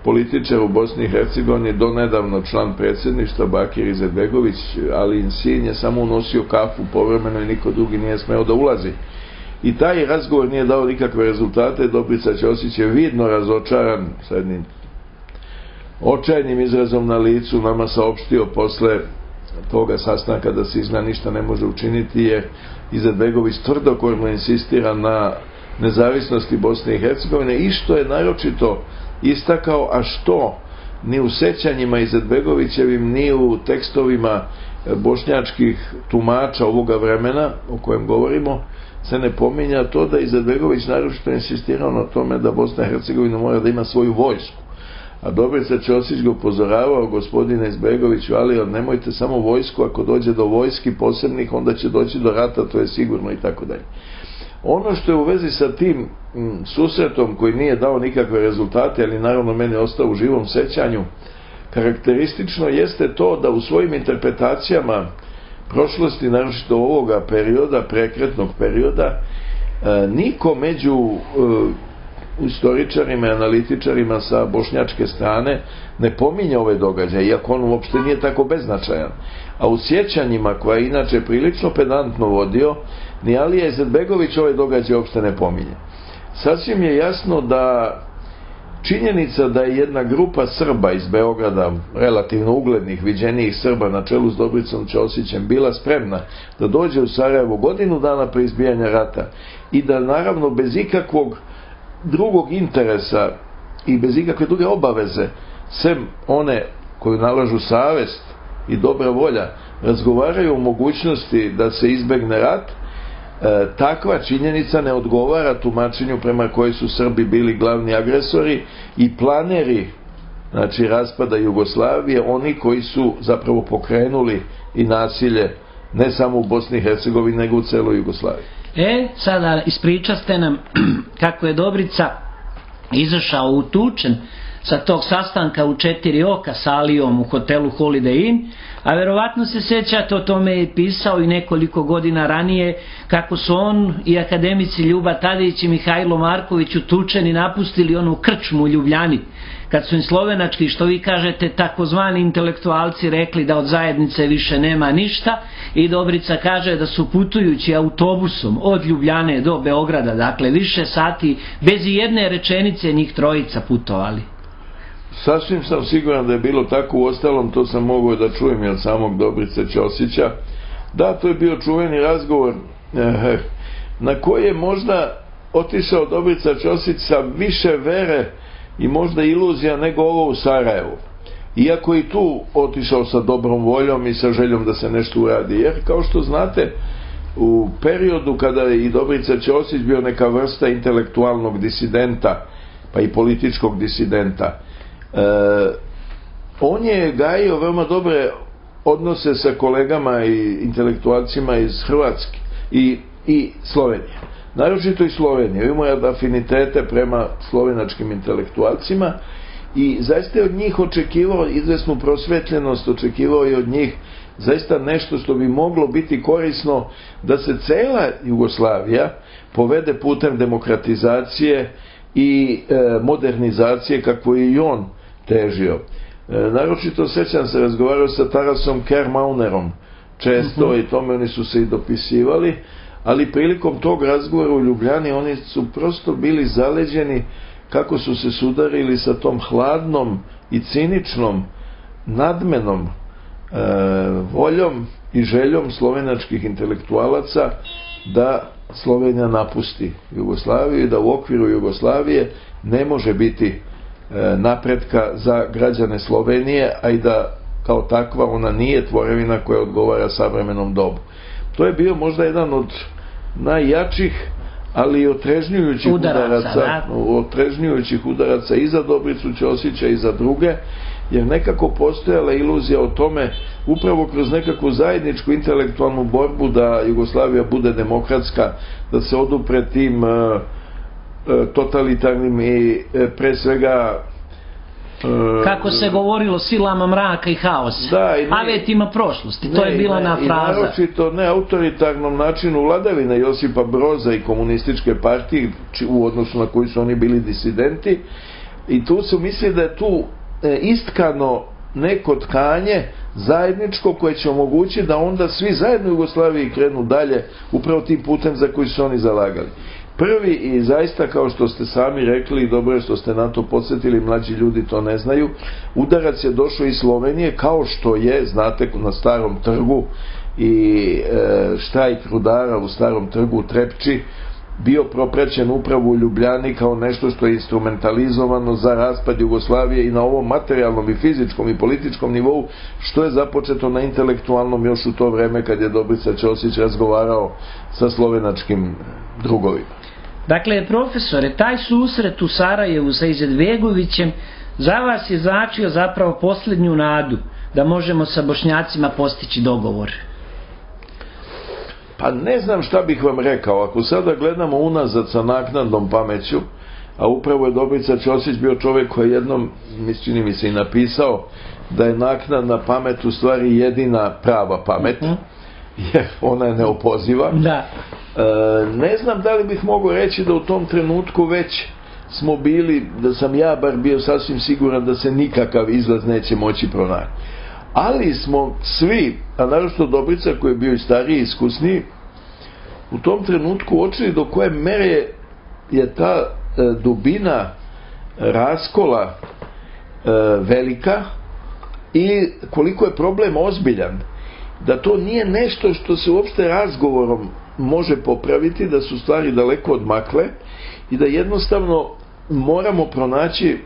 političar u Bosni i Hercegovini, donedavno član predsjedništva Bakir Izetbegović, ali sin je samo unosio kafu povremeno i niko drugi nije smeo da ulazi. i taj razgovor nije dao nikakve rezultate. Dobrica Ćosić je vidno razočaran, sa jednim očajnim izrazom na licu nama saopštio posle toga sastanka da se izgleda ništa ne može učiniti, jer Izetbegović tvrdokorno insistira na nezavisnosti Bosne i Hercegovine, i što je naročito istakao, a što ni u sećanjima Izetbegovićevim ni u tekstovima bošnjačkih tumača ovoga vremena o kojem govorimo se ne pominja, to da Izetbegović naročito insistirao na tome da Bosna i Hercegovina mora da ima svoju vojsku. A Dobrica Ćosić ga upozoravao: gospodine Izbegoviću, ali nemojte samo vojsku, ako dođe do vojski posebnih, onda će doći do rata, to je sigurno, i tako dalje. Ono što je u vezi sa tim susretom, koji nije dao nikakve rezultate, ali naravno meni ostao u živom sećanju, karakteristično jeste to da u svojim interpretacijama prošlosti, naročito ovoga perioda, prekretnog perioda, niko među istoričarima i analitičarima sa bošnjačke strane ne pominje ove događaje, iako on uopšte nije tako beznačajan. A u sjećanjima, koja je inače prilično pedantno vodio, ni Alija Izetbegović ove događaje uopšte ne pominje. Sasvim je jasno da činjenica da je jedna grupa Srba iz Beograda, relativno uglednih, viđenijih Srba na čelu s Dobricom Ćosićem, bila spremna da dođe u Sarajevo godinu dana pre izbijanja rata i da naravno bez ikakvog drugog interesa i bez ikakve druge obaveze, sem one koju nalažu savest i dobra volja, razgovaraju o mogućnosti da se izbegne rat, takva činjenica ne odgovara tumačenju prema kojoj su Srbi bili glavni agresori i planeri, znači, raspada Jugoslavije, oni koji su zapravo pokrenuli i nasilje ne samo u Bosni i Hercegovini, nego u celoj Jugoslaviji. Sada ispričaste nam kako je Dobrica izašao utučen sa tog sastanka u 4 oka sa Alijom u hotelu Holiday Inn, a verovatno se sećate, o tome je pisao i nekoliko godina ranije, kako su on i akademici Ljuba Tadić i Mihajlo Marković utučeni napustili onu krčmu u Ljubljani, kad su im slovenački, što vi kažete, takozvani intelektualci rekli da od zajednice više nema ništa, i Dobrica kaže da su putujući autobusom od Ljubljane do Beograda, dakle više sati, bez i jedne rečenice njih trojica putovali. Sasvim sam siguran da je bilo tako, uostalom to sam mogao da čujem i od samog Dobrice Ćosića. Da, to je bio čuveni razgovor na koji je možda otišao Dobrica Ćosić sa više vere i možda iluzija nego ovo u Sarajevu. Iako i tu otišao sa dobrom voljom i sa željom da se nešto uradi. Jer, kao što znate, u periodu kada je i Dobrica Ćosić bio neka vrsta intelektualnog disidenta, pa i političkog disidenta, on je gajio veoma dobre odnose sa kolegama i intelektualcima iz Hrvatske i Slovenije. Naročito i Slovenije. Imao je afinitete prema slovenačkim intelektualcima i zaista je od njih očekivao izvesnu prosvetljenost, očekivao je od njih zaista nešto što bi moglo biti korisno da se cela Jugoslavija povede putem demokratizacije i modernizacije kako je i on težio. Naročito sećam se, razgovarao sa Tarasom Kermaunerom često i tome oni su se i dopisivali, ali prilikom tog razgovora u Ljubljani oni su prosto bili zaleđeni kako su se sudarili sa tom hladnom i ciničnom nadmenom voljom i željom slovenačkih intelektualaca da Slovenija napusti Jugoslaviju i da u okviru Jugoslavije ne može biti napretka za građane Slovenije, a i da kao takva ona nije tvorevina koja odgovara savremenom dobu. To je bio možda jedan od najjačih, ali i otrežnjujućih udaraca i za Dobricu Ćosića i za druge, jer nekako postojala iluzija o tome, upravo kroz nekakvu zajedničku intelektualnu borbu da Jugoslavija bude demokratska, da se odupre tim totalitarnim i pre svega kako se govorilo, silama mraka i haosa, avetima prošlosti, to je bila ona fraza. I naročito ne autoritarnom načinu vladavine Josipa Broza i komunističke partije, u odnosu na koji su oni bili disidenti, i tu su mislili da je tu istkano neko tkanje zajedničko koje će omogućiti da onda svi zajedno u Jugoslaviji krenu dalje upravo tim putem za koji su oni zalagali. Prvi, i zaista kao što ste sami rekli, i dobro je što ste na to podsjetili, mlađi ljudi to ne znaju, udarac je došao iz Slovenije, kao što je, znate, na Starom trgu i štrajk rudara u Starom trgu u Trepči bio propraćen upravo u Ljubljani kao nešto što je instrumentalizovano za raspad Jugoslavije i na ovom materijalnom i fizičkom i političkom nivou, što je započeto na intelektualnom još u to vreme kad je Dobrica Ćosić razgovarao sa slovenačkim drugovima. Dakle, profesore, taj susret u Sarajevu sa Izetbegovićem za vas je značio zapravo posljednju nadu da možemo sa Bošnjacima postići dogovor. Pa ne znam šta bih vam rekao. Ako sada gledamo unazad sa naknadnom pameću, a upravo je Dobrica Ćosić bio čovjek koji jednom, čini mi se, i napisao da je naknadna pamet u stvari jedina prava pamet, jer ona je neopoziva. Da. Ne znam da li bih mogao reći da u tom trenutku već smo bili, da sam ja bar bio sasvim siguran da se nikakav izlaz neće moći pronaći. Ali smo svi, a naročito Dobrica koji je bio i stariji i iskusniji, u tom trenutku uočili do koje mere je ta dubina raskola velika i koliko je problem ozbiljan. Da to nije nešto što se uopšte razgovorom može popraviti, da su stvari daleko odmakle i da jednostavno moramo pronaći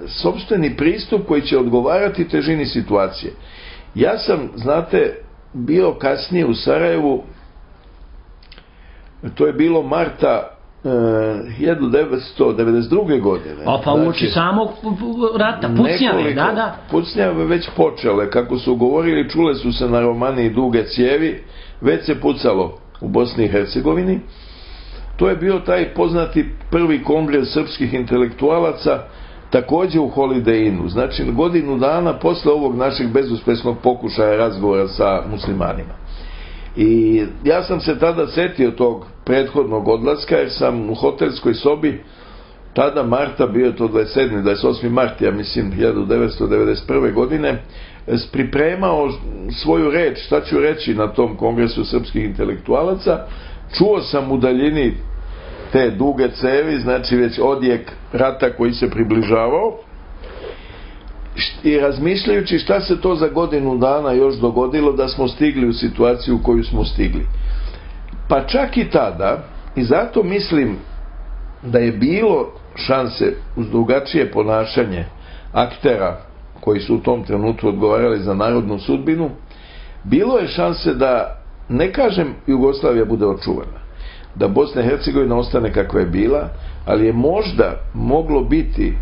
sopstveni pristup koji će odgovarati težini situacije. Ja sam, znate, bio kasnije u Sarajevu, to je bilo marta 1992. godine. Pa uoči samog rata, pucnjave, da. Pucnjave već počele, kako su govorili, čule su se na Romaniji duge cijevi, već se pucalo u Bosni i Hercegovini. To je bio taj poznati prvi kongres srpskih intelektualaca, također u Holiday Innu, znači godinu dana posle ovog našeg bezuspešnog pokušaja razgovora sa muslimanima. I ja sam se tada setio tog prethodnog odlaska, jer sam u hotelskoj sobi tada marta, bio je to 27. 28. mart, ja mislim 1991. godine, pripremao svoju reč, šta ću reći na tom kongresu srpskih intelektualaca. Čuo sam u daljini te duge cevi, znači već odjek rata koji se približavao, i razmišljajući šta se to za godinu dana još dogodilo da smo stigli u situaciju u koju smo stigli. Pa čak i tada, i zato mislim da je bilo šanse uz drugačije ponašanje aktera koji su u tom trenutku odgovarali za narodnu sudbinu, bilo je šanse da, ne kažem Jugoslavija bude očuvana, da Bosna i Hercegovina ostane kakva je bila, ali je možda moglo biti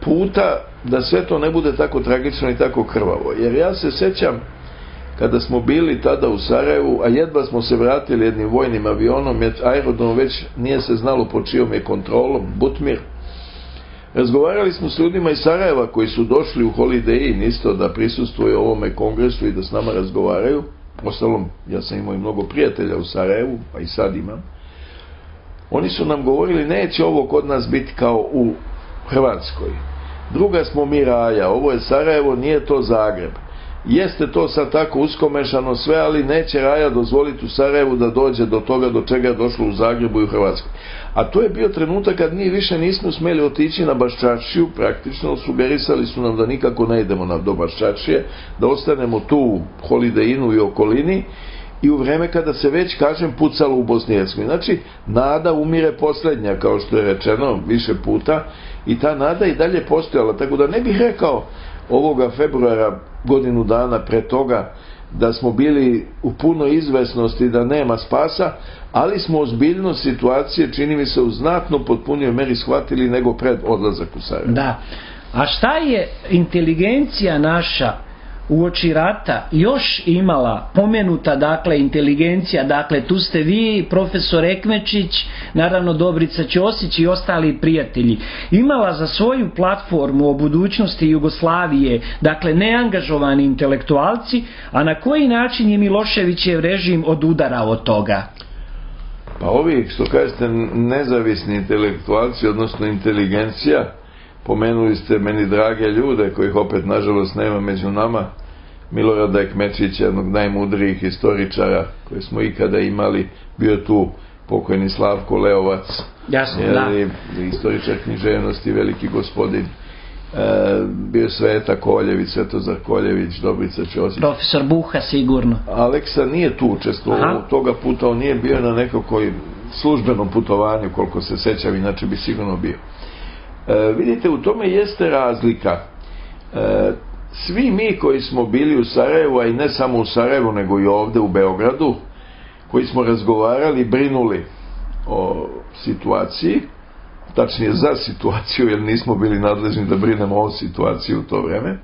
puta da sve to ne bude tako tragično i tako krvavo. Jer ja se sećam kada smo bili tada u Sarajevu, a jedva smo se vratili jednim vojnim avionom, jer aerodrom već nije se znalo pod čijom je kontrolom, Butmir. Razgovarali smo s ljudima iz Sarajeva koji su došli u Holiday Inn isto da prisustvuju ovome kongresu i da s nama razgovaraju. Ostalom, ja sam imao i mnogo prijatelja u Sarajevu, pa i sad imam. Oni su nam govorili, neće ovo kod nas biti kao u Hrvatskoj. Druga smo mi raja, ovo je Sarajevo, nije to Zagreb. Jeste to sad tako uskomešano sve, ali neće raja dozvoliti u Sarajevu da dođe do toga do čega je došlo u Zagrebu i u Hrvatskoj. A to je bio trenutak kad mi više nismo smjeli otići na Baščaršiju, praktično sugerisali su nam da nikako ne idemo do Baščaršije, da ostanemo tu u Holiday Innu i okolini, i u vreme kada se već, kažem, pucalo u Bosni i Hercegovini. Znači, nada umire posljednja, kao što je rečeno više puta, i ta nada i dalje postojala. Tako da ne bih rekao ovoga februara, godinu dana pre toga, da smo bili u punoj izvesnosti da nema spasa, ali smo ozbiljnost situacije, čini mi se, u znatno potpunijoj meri shvatili nego pred odlazak u Sarajevo. Da. A šta je inteligencija naša uoči rata još imala, pomenuta dakle inteligencija, dakle tu ste vi, profesor Ekmečić, naravno Dobrica Ćosić i ostali prijatelji, imala za svoju platformu o budućnosti Jugoslavije, dakle neangažovani intelektualci, a na koji način je Miloševićev režim odudarao od toga? Pa ovi, što kažete, nezavisni intelektualci, odnosno inteligencija, Pomenuli ste meni drage ljude, kojih opet nažalost nema među nama, Milorada Ekmečića, jednog najmudrijih historičara koje smo ikada imali, bio tu pokojni Slavko Leovac, historičar književnosti, veliki gospodin, bio Sveta Koljević, Svetozar Koljević, Dobrica Ćosić. Profesor Buha sigurno. Aleksa nije tu učestvovao, toga puta on nije bio na nekakvoj službenom putovanju, koliko se sećam, inače bi sigurno bio. Vidite, u tome jeste razlika. Svi mi koji smo bili u Sarajevu, a i ne samo u Sarajevu, nego i ovde u Beogradu, koji smo razgovarali, brinuli o situaciji, tačnije za situaciju, jer nismo bili nadležni da brinemo o situaciji u to vreme,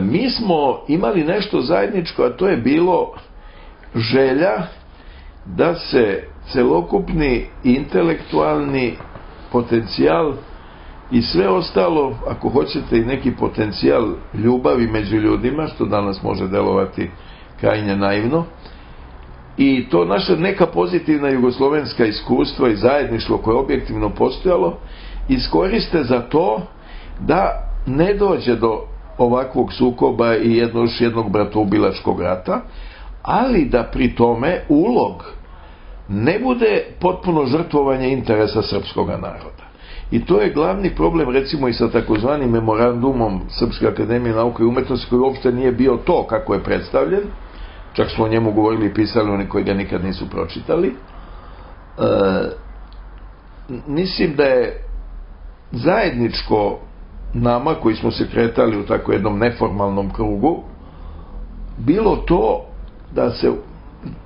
mi smo imali nešto zajedničko, a to je bilo želja da se celokupni intelektualni potencijal i sve ostalo, ako hoćete i neki potencijal ljubavi među ljudima, što danas može delovati krajnje naivno, i to naša neka pozitivna jugoslovenska iskustva i zajedništvo koje je objektivno postojalo, iskoriste za to da ne dođe do ovakvog sukoba i još jednog bratoubilačkog rata, ali da pri tome ulog ne bude potpuno žrtvovanje interesa srpskog naroda. I to je glavni problem, recimo, i sa takozvanim memorandumom Srpske akademije nauke i umetnosti, koji uopšte nije bio to kako je predstavljen, čak smo o njemu govorili i pisali oni koji ga nikad nisu pročitali. Mislim da je zajedničko nama, koji smo se kretali u tako jednom neformalnom krugu, bilo to da se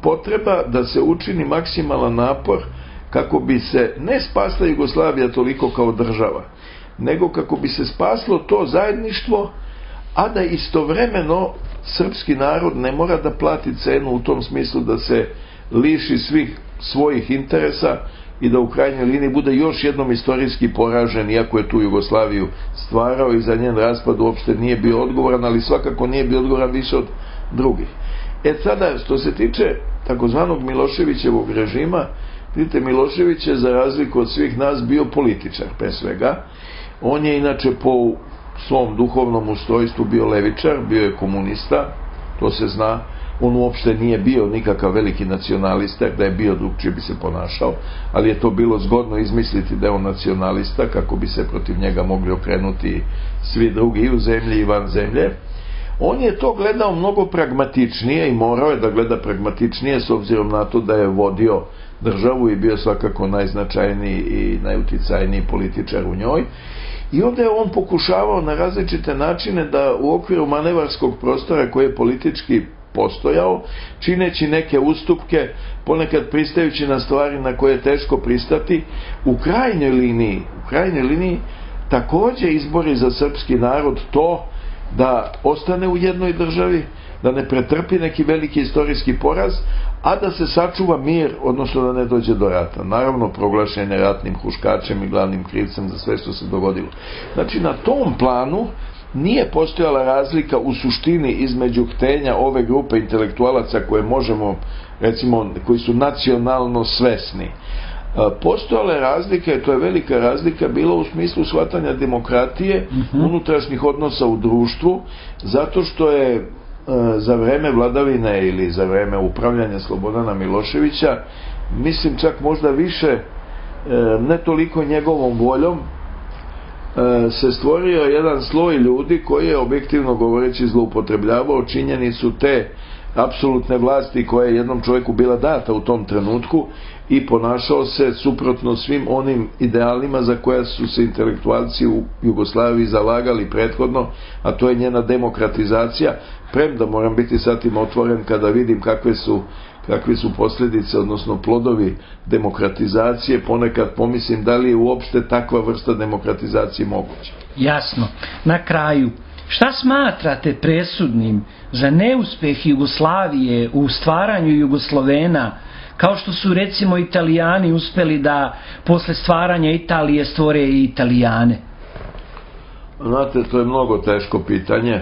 potreba da se učini maksimalan napor kako bi se ne spasla Jugoslavija toliko kao država, nego kako bi se spaslo to zajedništvo, a da istovremeno srpski narod ne mora da plati cenu u tom smislu da se liši svih svojih interesa i da u krajnjoj liniji bude još jednom istorijski poražen, iako je tu Jugoslaviju stvarao i za njen raspad uopšte nije bio odgovoran, ali svakako nije bio odgovoran više od drugih. Sada, što se tiče takozvanog Miloševićevog režima, vidite, Milošević je za razliku od svih nas bio političar, pre svega. On je inače po svom duhovnom ustrojstvu bio levičar, bio je komunista, to se zna. On uopšte nije bio nikakav veliki nacionalista, da je bio drugčije bi se ponašao, ali je to bilo zgodno izmisliti da je on nacionalista, kako bi se protiv njega mogli okrenuti svi drugi i u zemlji i van zemlje. On je to gledao mnogo pragmatičnije i morao je da gleda pragmatičnije s obzirom na to da je vodio državu i bio svakako najznačajniji i najuticajniji političar u njoj. I onda je on pokušavao na različite načine da u okviru manevarskog prostora koji je politički postojao, čineći neke ustupke, ponekad pristajući na stvari na koje je teško pristati, u krajnjoj liniji takođe izbori za srpski narod to da ostane u jednoj državi, da ne pretrpi neki veliki istorijski poraz, a da se sačuva mir, odnosno da ne dođe do rata. Naravno, proglašen je ratnim huškačem i glavnim krivcem za sve što se dogodilo. Znači, na tom planu nije postojala razlika u suštini između htenja ove grupe intelektualaca koje možemo, recimo, koji su nacionalno svesni. Postojala je razlika, i to je velika razlika, bilo u smislu shvatanja demokratije, unutrašnjih odnosa u društvu, zato što je za vreme vladavine ili za vreme upravljanja Slobodana Miloševića, mislim čak možda više, ne toliko njegovom voljom, se stvorio jedan sloj ljudi koji je objektivno govoreći zloupotrebljavao činjenicu te apsolutne vlasti koja je jednom čovjeku bila data u tom trenutku i ponašao se suprotno svim onim idealima za koja su se intelektualci u Jugoslaviji zalagali prethodno, a to je njena demokratizacija, premda moram biti sa tim otvoren kada vidim kakve su posljedice, odnosno plodovi demokratizacije, ponekad pomislim da li je uopšte takva vrsta demokratizacije moguća. Jasno. Na kraju, šta smatrate presudnim za neuspeh Jugoslavije u stvaranju Jugoslovena, kao što su recimo Italijani uspeli da posle stvaranja Italije stvore i Italijane? Znate, to je mnogo teško pitanje.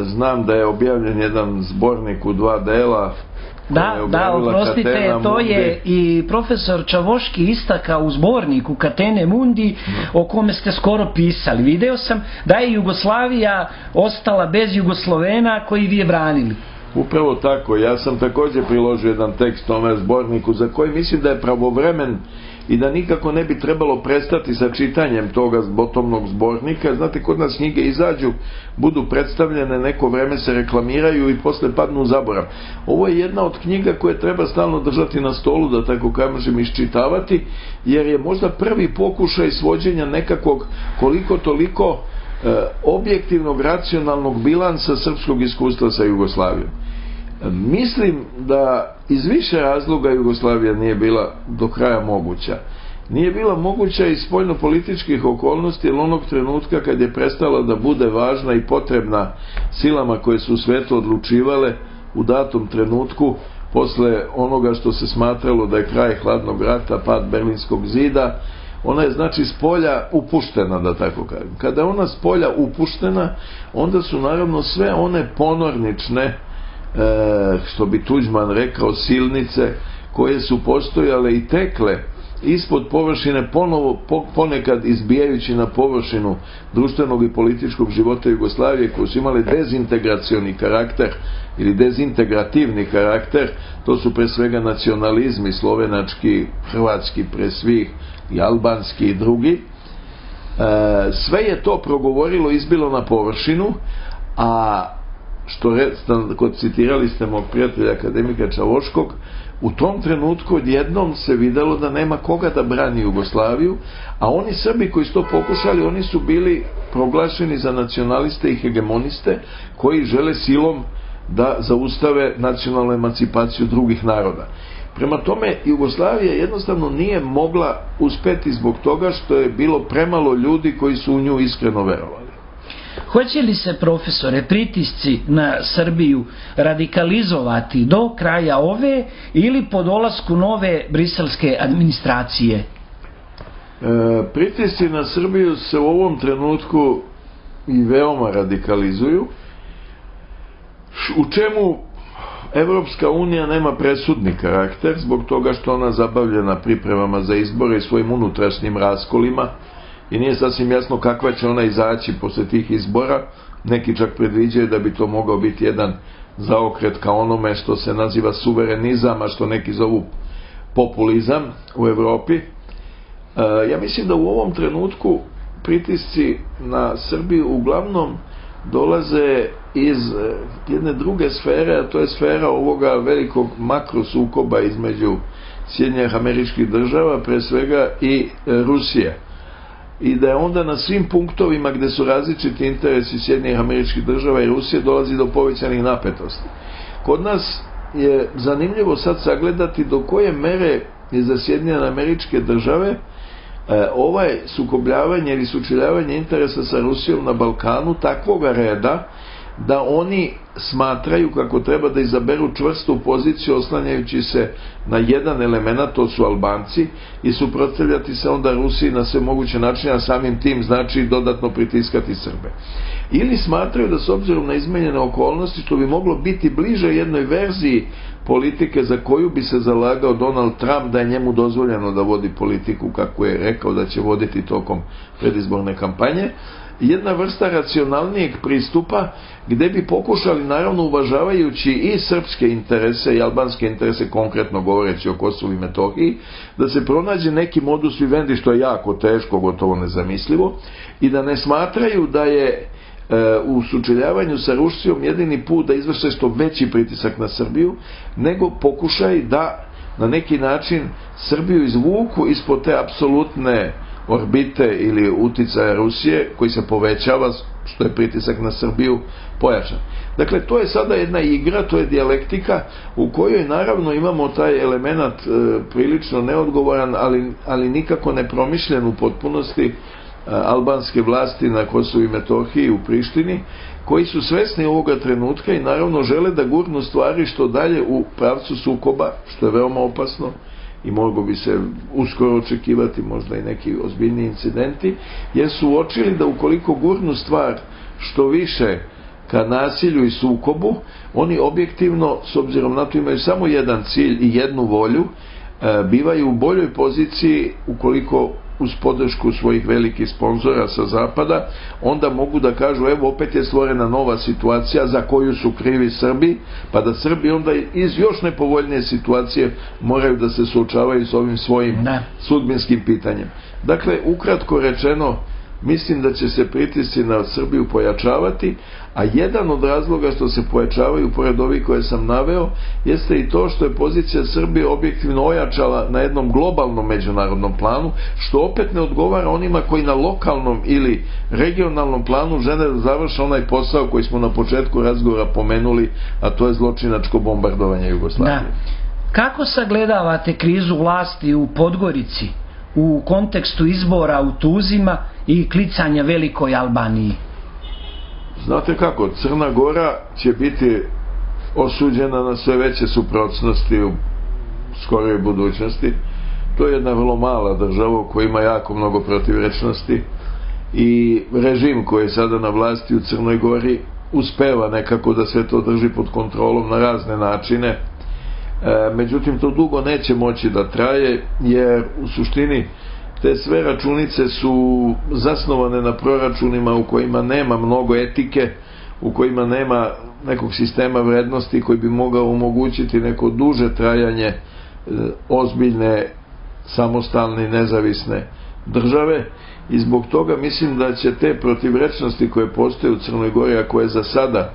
Znam da je objavljen jedan zbornik u 2 dela Da, oprostite, to je i profesor Čavoški istakao u zborniku Catene Mundi, o kome ste skoro pisali. Video sam da je Jugoslavija ostala bez Jugoslovena koji vi je branili. Upravo tako, ja sam također priložio jedan tekst tome zborniku za koji mislim da je pravovremen i da nikako ne bi trebalo prestati sa čitanjem toga botomnog zbornika. Znate, kod nas knjige izađu, budu predstavljene, neko vreme se reklamiraju i posle padnu u zaborav. Ovo je jedna od knjiga koje treba stalno držati na stolu, da tako kažem, iščitavati, jer je možda prvi pokušaj svođenja nekakvog koliko toliko objektivnog, racionalnog bilansa srpskog iskustva sa Jugoslavijom. Mislim da iz više razloga Jugoslavija nije bila do kraja moguća. Nije bila moguća iz spoljnopolitičkih okolnosti, jer onog trenutka kad je prestala da bude važna i potrebna silama koje su u svetu odlučivale u datom trenutku, posle onoga što se smatralo da je kraj hladnog rata, pad Berlinskog zida, ona je znači s polja upuštena, da tako kažem. Kada je ona s polja upuštena, onda su naravno sve one ponornične, što bi Tuđman rekao, silnice koje su postojale i tekle ispod površine, ponovo ponekad izbijajući na površinu društvenog i političkog života Jugoslavije, koji su imali dezintegracioni karakter ili dezintegrativni karakter. To su pre svega nacionalizmi, slovenački, hrvatski pre svih, i albanski i drugi. Sve je to progovorilo, izbilo na površinu, a što citirali ste mog prijatelja akademika Čavoškog, u tom trenutku odjednom se videlo da nema koga da brani Jugoslaviju, a oni Srbi koji su to pokušali, oni su bili proglašeni za nacionaliste i hegemoniste koji žele silom da zaustave nacionalnu emancipaciju drugih naroda. Prema tome, Jugoslavija jednostavno nije mogla uspeti zbog toga što je bilo premalo ljudi koji su u nju iskreno verovali. Hoće li se, profesore, pritisci na Srbiju radikalizovati do kraja ove ili po dolasku nove briselske administracije? Pritisci na Srbiju se u ovom trenutku i veoma radikalizuju, u čemu Evropska unija nema presudni karakter, zbog toga što ona zabavljena pripremama za izbore i svojim unutrašnjim raskolima, i nije sasvim jasno kakva će ona izaći posle tih izbora. Neki čak predviđaju da bi to mogao biti jedan zaokret ka onome što se naziva suverenizam, a što neki zovu populizam u Evropi. Ja mislim da u ovom trenutku pritisci na Srbiju uglavnom dolaze iz jedne druge sfere, a to je sfera ovoga velikog makrosukoba između Sjedinjenih Američkih Država, pre svega, i Rusije. I da je onda na svim punktovima gde su različiti interesi Sjedinjenih Američkih Država i Rusije dolazi do povećanih napetosti. Kod nas je zanimljivo sad sagledati do koje mere je za Sjedinjene Američke Države ovaj sukobljavanje ili sučeljavanje interesa sa Rusijom na Balkanu takvoga reda da oni smatraju kako treba da izaberu čvrstu poziciju oslanjajući se na jedan element, to su Albanci, i suprotstavljati se onda Rusiji na sve moguće načine, a samim tim znači dodatno pritiskati Srbe. Ili smatraju da s obzirom na izmenjene okolnosti, što bi moglo biti bliže jednoj verziji politike za koju bi se zalagao Donald Trump, da je njemu dozvoljeno da vodi politiku kako je rekao da će voditi tokom predizborne kampanje, jedna vrsta racionalnijeg pristupa gde bi pokušali, naravno uvažavajući i srpske interese i albanske interese, konkretno govoreći o Kosovu i Metohiji, da se pronađe neki modus vivendi, što je jako teško, gotovo nezamislivo, i da ne smatraju da je u sučeljavanju sa Rusijom jedini put da izvrše što veći pritisak na Srbiju, nego pokušaj da na neki način Srbiju izvuku ispod te apsolutne orbite ili uticaja Rusije, koji se povećava, što je pritisak na Srbiju pojačan. Dakle, to je sada jedna igra, to je dijalektika u kojoj naravno imamo taj element prilično neodgovoran, ali nikako nepromišljen u potpunosti albanske vlasti na Kosovu i Metohiji u Prištini, koji su svesni ovoga trenutka i naravno žele da gurnu stvari što dalje u pravcu sukoba, što je veoma opasno i moglo bi se uskoro očekivati možda i neki ozbiljni incidenti, jer su uočili da ukoliko gurnu stvar što više ka nasilju i sukobu, oni objektivno, s obzirom na to imaju samo jedan cilj i jednu volju, bivaju u boljoj poziciji ukoliko uz podršku svojih velikih sponzora sa zapada, onda mogu da kažu evo opet je stvorena nova situacija za koju su krivi Srbi, pa da Srbi onda iz još nepovoljnije situacije moraju da se suočavaju s ovim svojim sudbinskim pitanjem. Dakle, ukratko rečeno, mislim da će se pritisci na Srbiju pojačavati, a jedan od razloga što se pojačavaju, pored ovih koje sam naveo, jeste i to što je pozicija Srbije objektivno ojačala na jednom globalnom međunarodnom planu, što opet ne odgovara onima koji na lokalnom ili regionalnom planu žele da završe onaj posao koji smo na početku razgovora pomenuli, a to je zločinačko bombardovanje Jugoslavije. Kako sagledavate krizu vlasti u Podgorici u kontekstu izbora u Tuzima i klicanja Velikoj Albaniji? Znate kako, Crna Gora će biti osuđena na sve veće suprotnosti u skoroj budućnosti. To je jedna vrlo mala država koja ima jako mnogo protivrečnosti i režim koji je sada na vlasti u Crnoj Gori uspeva nekako da sve to drži pod kontrolom na razne načine. Međutim, to dugo neće moći da traje, jer u suštini te sve računice su zasnovane na proračunima u kojima nema mnogo etike, u kojima nema nekog sistema vrednosti koji bi mogao omogućiti neko duže trajanje ozbiljne, samostalne i nezavisne države, i zbog toga mislim da će te protivrečnosti koje postoje u Crnoj Gori, a koje za sada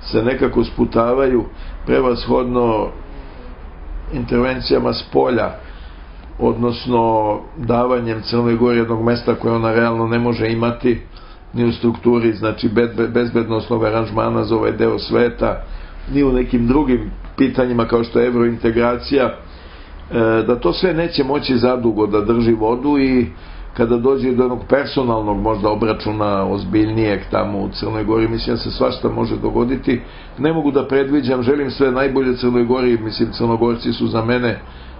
se nekako sputavaju prevashodno intervencijama s polja, odnosno davanjem Crnoj Gori jednog mesta koje ona realno ne može imati ni u strukturi, znači bezbednosnog aranžmana za ovaj deo sveta, ni u nekim drugim pitanjima kao što je evrointegracija, da to sve neće moći zadugo da drži vodu, i kada dođe do jednog personalnog možda obračuna ozbiljnijeg tamo u Crnoj Gori, mislim da se svašta može dogoditi. Ne mogu da predviđam, želim sve najbolje Crnoj Gori, mislim Crnogorci su za mene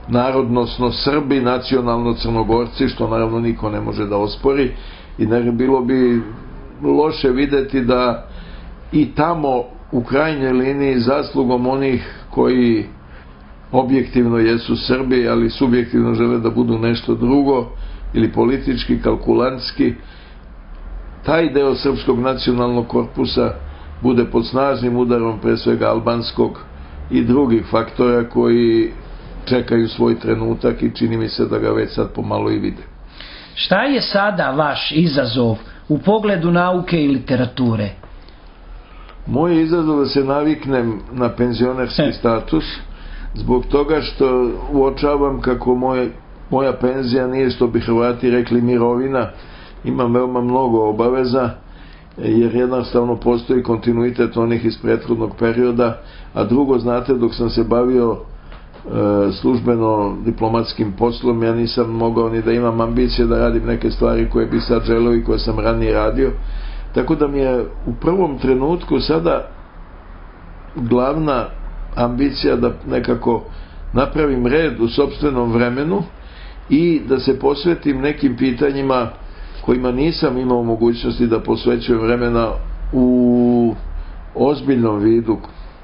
narodnosno Srbi, nacionalno Crnogorci, što naravno niko ne može da ospori, i bilo bi loše videti da i tamo u krajnjoj liniji zaslugom onih koji objektivno jesu Srbi, ali subjektivno žele da budu nešto drugo ili politički, kalkulantski, taj deo srpskog nacionalnog korpusa bude pod snažnim udarom pre svega albanskog i drugih faktora koji čekaju svoj trenutak i čini mi se da ga već sad pomalo i vide. Šta je sada vaš izazov u pogledu nauke i literature? Moj izazov da se naviknem na penzionerski status, zbog toga što uočavam kako moja penzija nije, što bi Hrvati rekli, mirovina. Imam veoma mnogo obaveza, jer jednostavno postoji kontinuitet onih iz prethodnog perioda, a drugo, znate, dok sam se bavio službeno diplomatskim poslom, ja nisam mogao ni da imam ambicije da radim neke stvari koje bi sad želeo i koje sam ranije radio, tako da mi je u prvom trenutku sada glavna ambicija da nekako napravim red u sopstvenom vremenu i da se posvetim nekim pitanjima kojima nisam imao mogućnosti da posvećujem vremena u ozbiljnom vidu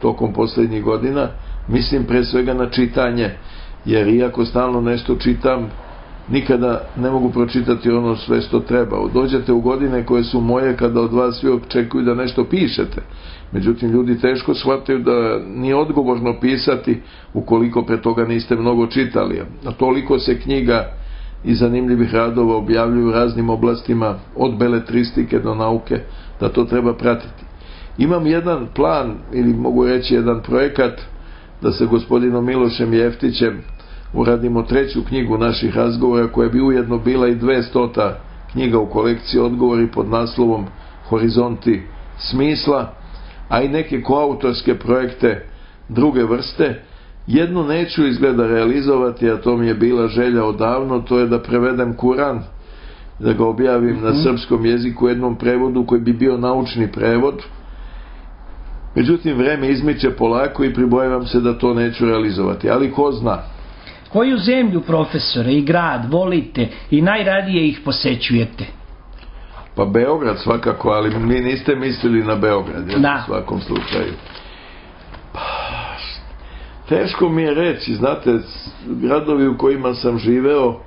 tokom poslednjih godina. Mislim pre svega na čitanje, jer iako stalno nešto čitam, nikada ne mogu pročitati ono sve što treba. Dođete u godine koje su moje kada od vas svi očekuju da nešto pišete. Međutim, ljudi teško shvataju da nije odgovorno pisati ukoliko pre toga niste mnogo čitali. A toliko se knjiga i zanimljivih radova objavljuju u raznim oblastima, od beletristike do nauke, da to treba pratiti. Imam jedan plan, ili mogu reći jedan projekat, da sa gospodinom Milošem Jeftićem uradimo 3. knjigu naših razgovora, koja bi ujedno bila i 200. knjiga u kolekciji Odgovori pod naslovom Horizonti smisla, a i neke koautorske projekte druge vrste. Jedno neću izgleda realizovati, a to mi je bila želja odavno, to je da prevedem Kuran, da ga objavim na srpskom jeziku u jednom prevodu koji bi bio naučni prevod. Međutim, vreme izmiče polako i pribojavam se da to neću realizovati, ali ko zna. Koju zemlju, profesore, i grad volite i najradije ih posećujete? Pa Beograd svakako, ali mi niste mislili na Beograd, da. U svakom slučaju. Teško mi je reći, znate, gradovi u kojima sam živeo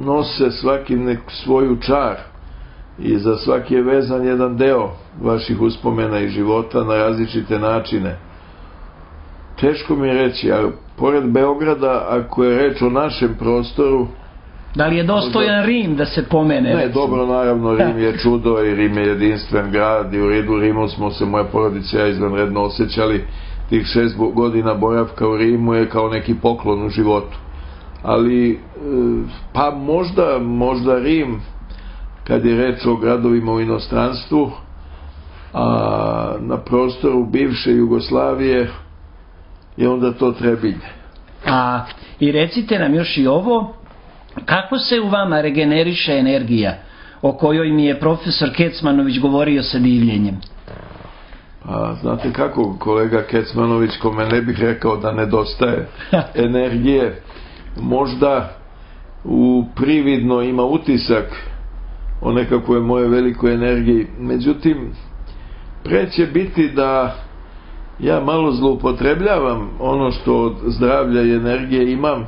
nose svaki svoju čar i za svaki je vezan jedan deo vaših uspomena i života na različite načine. Teško mi je reći, a pored Beograda, ako je reč o našem prostoru, da li je dostojan Rim da se pomene? Ne, dobro, naravno, Rim je čudo i Rim je jedinstven grad i u redu Rimu smo se, moja porodica i ja, izvanredno osjećali. Tih 6 godina boravka u Rimu je kao neki poklon u životu. Ali, pa možda Rim, kad je reč o gradovima u inostranstvu, a na prostoru bivše Jugoslavije je onda to Trebinje. I recite nam još i ovo, kako se u vama regeneriše energija o kojoj mi je profesor Kecmanović govorio sa divljenjem? Znate kako, kolega Kecmanović, kome ne bih rekao da nedostaje energije, možda prividno ima utisak o nekakvoj moje velikoj energiji, međutim pre će biti da ja malo zloupotrebljavam ono što od zdravlja i energije imam,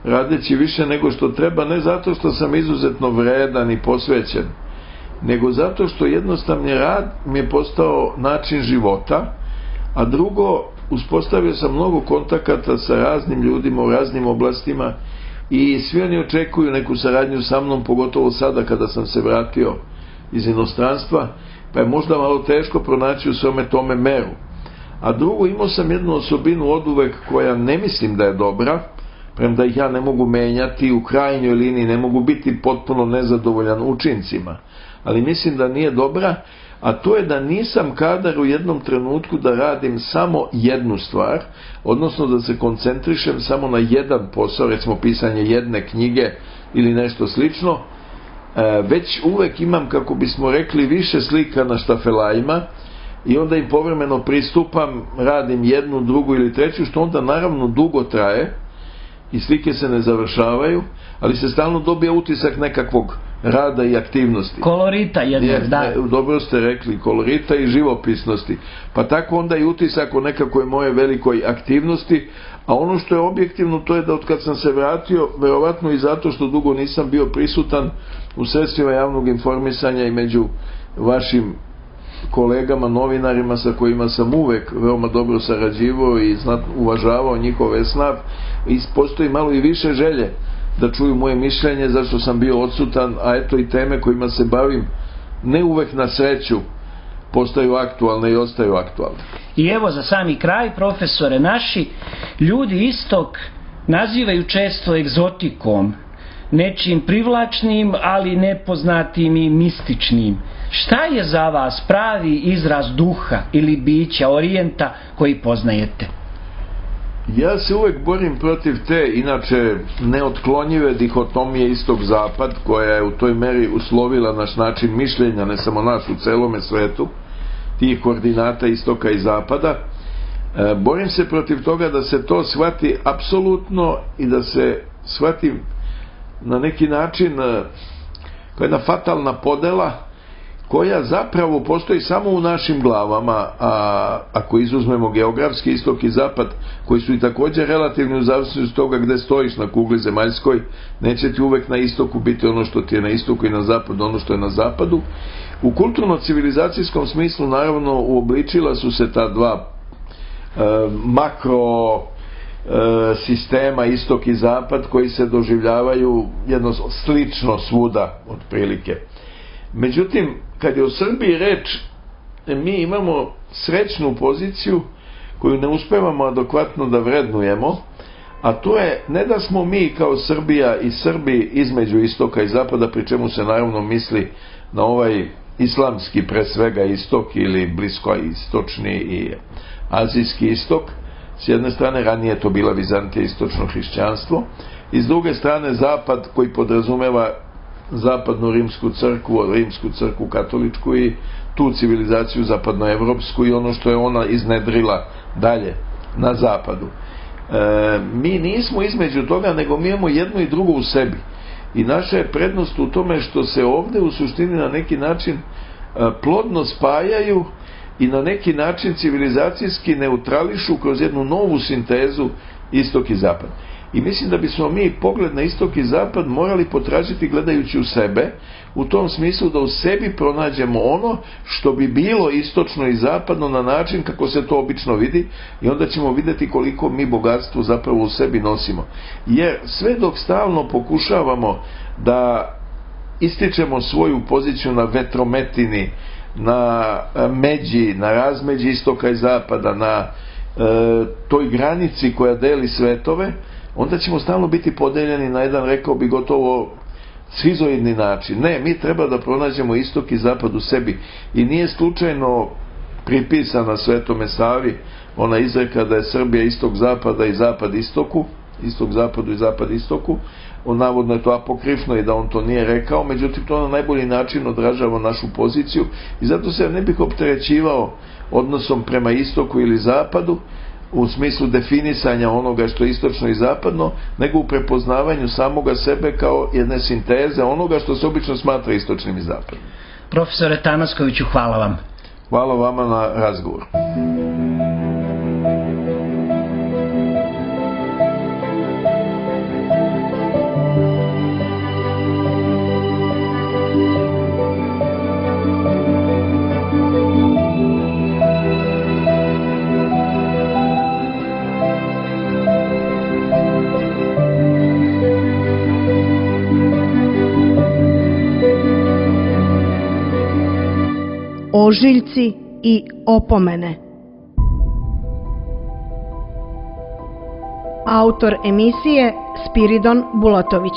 radeći više nego što treba, ne zato što sam izuzetno vredan i posvećen, nego zato što jednostavni rad mi je postao način života, a drugo, uspostavio sam mnogo kontakata sa raznim ljudima u raznim oblastima i svi oni očekuju neku saradnju sa mnom, pogotovo sada kada sam se vratio iz inostranstva, pa je možda malo teško pronaći u svome tome meru. A drugo, imao sam jednu osobinu oduvek koja ne mislim da je dobra, premda ih ja ne mogu menjati, u krajnjoj liniji ne mogu biti potpuno nezadovoljan učincima, ali mislim da nije dobra, a to je da nisam kadar u jednom trenutku da radim samo jednu stvar, odnosno da se koncentrišem samo na jedan posao, recimo pisanje jedne knjige ili nešto slično, već uvek imam, kako bismo rekli, više slika na štafelajima i onda im povremeno pristupam, radim jednu, drugu ili treću, što onda naravno dugo traje i slike se ne završavaju, ali se stalno dobija utisak nekakvog rada i aktivnosti. Kolorita jednog, da. Dobro ste rekli, kolorita i živopisnosti. Pa tako onda i utisak o nekakvoj moje velikoj aktivnosti, a ono što je objektivno to je da od kad sam se vratio, verovatno i zato što dugo nisam bio prisutan u sredstvima javnog informisanja i među vašim kolegama, novinarima sa kojima sam uvek veoma dobro sarađivao i uvažavao njihove snav, i postoji malo i više želje da čuju moje mišljenje, zašto sam bio odsutan, a eto i teme kojima se bavim, ne uvek na sreću, postaju aktualne i ostaju aktualne. I evo za sami kraj, profesore, naši ljudi istok nazivaju često egzotikom, nečim privlačnim, ali nepoznatim i mističnim. Šta je za vas pravi izraz duha ili bića orijenta koji poznajete? Ja se uvek borim protiv te, inače, neotklonjive dihotomije istok-zapad, koja je u toj meri uslovila naš način mišljenja, ne samo naš, u celome svetu, tih koordinata istoka i zapada. Borim se protiv toga da se to shvati apsolutno i da se shvati na neki način kao jedna fatalna podela koja zapravo postoji samo u našim glavama, a ako izuzmemo geografski istok i zapad, koji su i također relativni u zavisnosti od toga gde stojiš na kugli zemaljskoj, neće ti uvek na istoku biti ono što ti je na istoku i na zapadu ono što je na zapadu. U kulturno-civilizacijskom smislu naravno uobličila su se ta dva makro sistema istok i zapad koji se doživljavaju jedno slično svuda otprilike. Međutim, kad je o Srbiji reč, mi imamo srećnu poziciju koju ne uspevamo adekvatno da vrednujemo, a to je ne da smo mi kao Srbija i Srbi između istoka i zapada, pri čemu se naravno misli na ovaj islamski pre svega istok ili blisko istočni i azijski istok. S jedne strane, ranije to bila Vizantija, istočno hrišćanstvo, i s druge strane zapad koji podrazumeva zapadnu rimsku crkvu katoličku i tu civilizaciju zapadnoevropsku i ono što je ona iznedrila dalje na zapadu. Mi nismo između toga, nego mi imamo jedno i drugo u sebi. i naša je prednost u tome što se ovde u suštini na neki način plodno spajaju i na neki način civilizacijski neutrališu kroz jednu novu sintezu istok i zapad. I mislim da bismo mi pogled na istok i zapad morali potražiti gledajući u sebe, u tom smislu da u sebi pronađemo ono što bi bilo istočno i zapadno na način kako se to obično vidi, i onda ćemo vidjeti koliko mi bogatstvo zapravo u sebi nosimo. Jer sve dok stalno pokušavamo da ističemo svoju poziciju na vetrometini, na međi, na razmeđi istoka i zapada, na toj granici koja deli svetove, onda ćemo stalno biti podeljeni na jedan, rekao bi, gotovo schizoidni način. Ne, mi treba da pronađemo istok i zapad u sebi. I nije slučajno pripisana Svetome Savi ona izreka da je Srbija istok zapada i zapad istoku, istok zapadu i zapad istoku. Navodno je to apokrifno i da on to nije rekao, međutim to na najbolji način odražava našu poziciju i zato se ne bih opterećivao odnosom prema istoku ili zapadu u smislu definisanja onoga što je istočno i zapadno, nego u prepoznavanju samoga sebe kao jedne sinteze onoga što se obično smatra istočnim i zapadnim. Profesore Tanaskoviću, hvala vam. Hvala vama na razgovoru. Ožiljci i opomene. Autor emisije Spiridon Bulatović.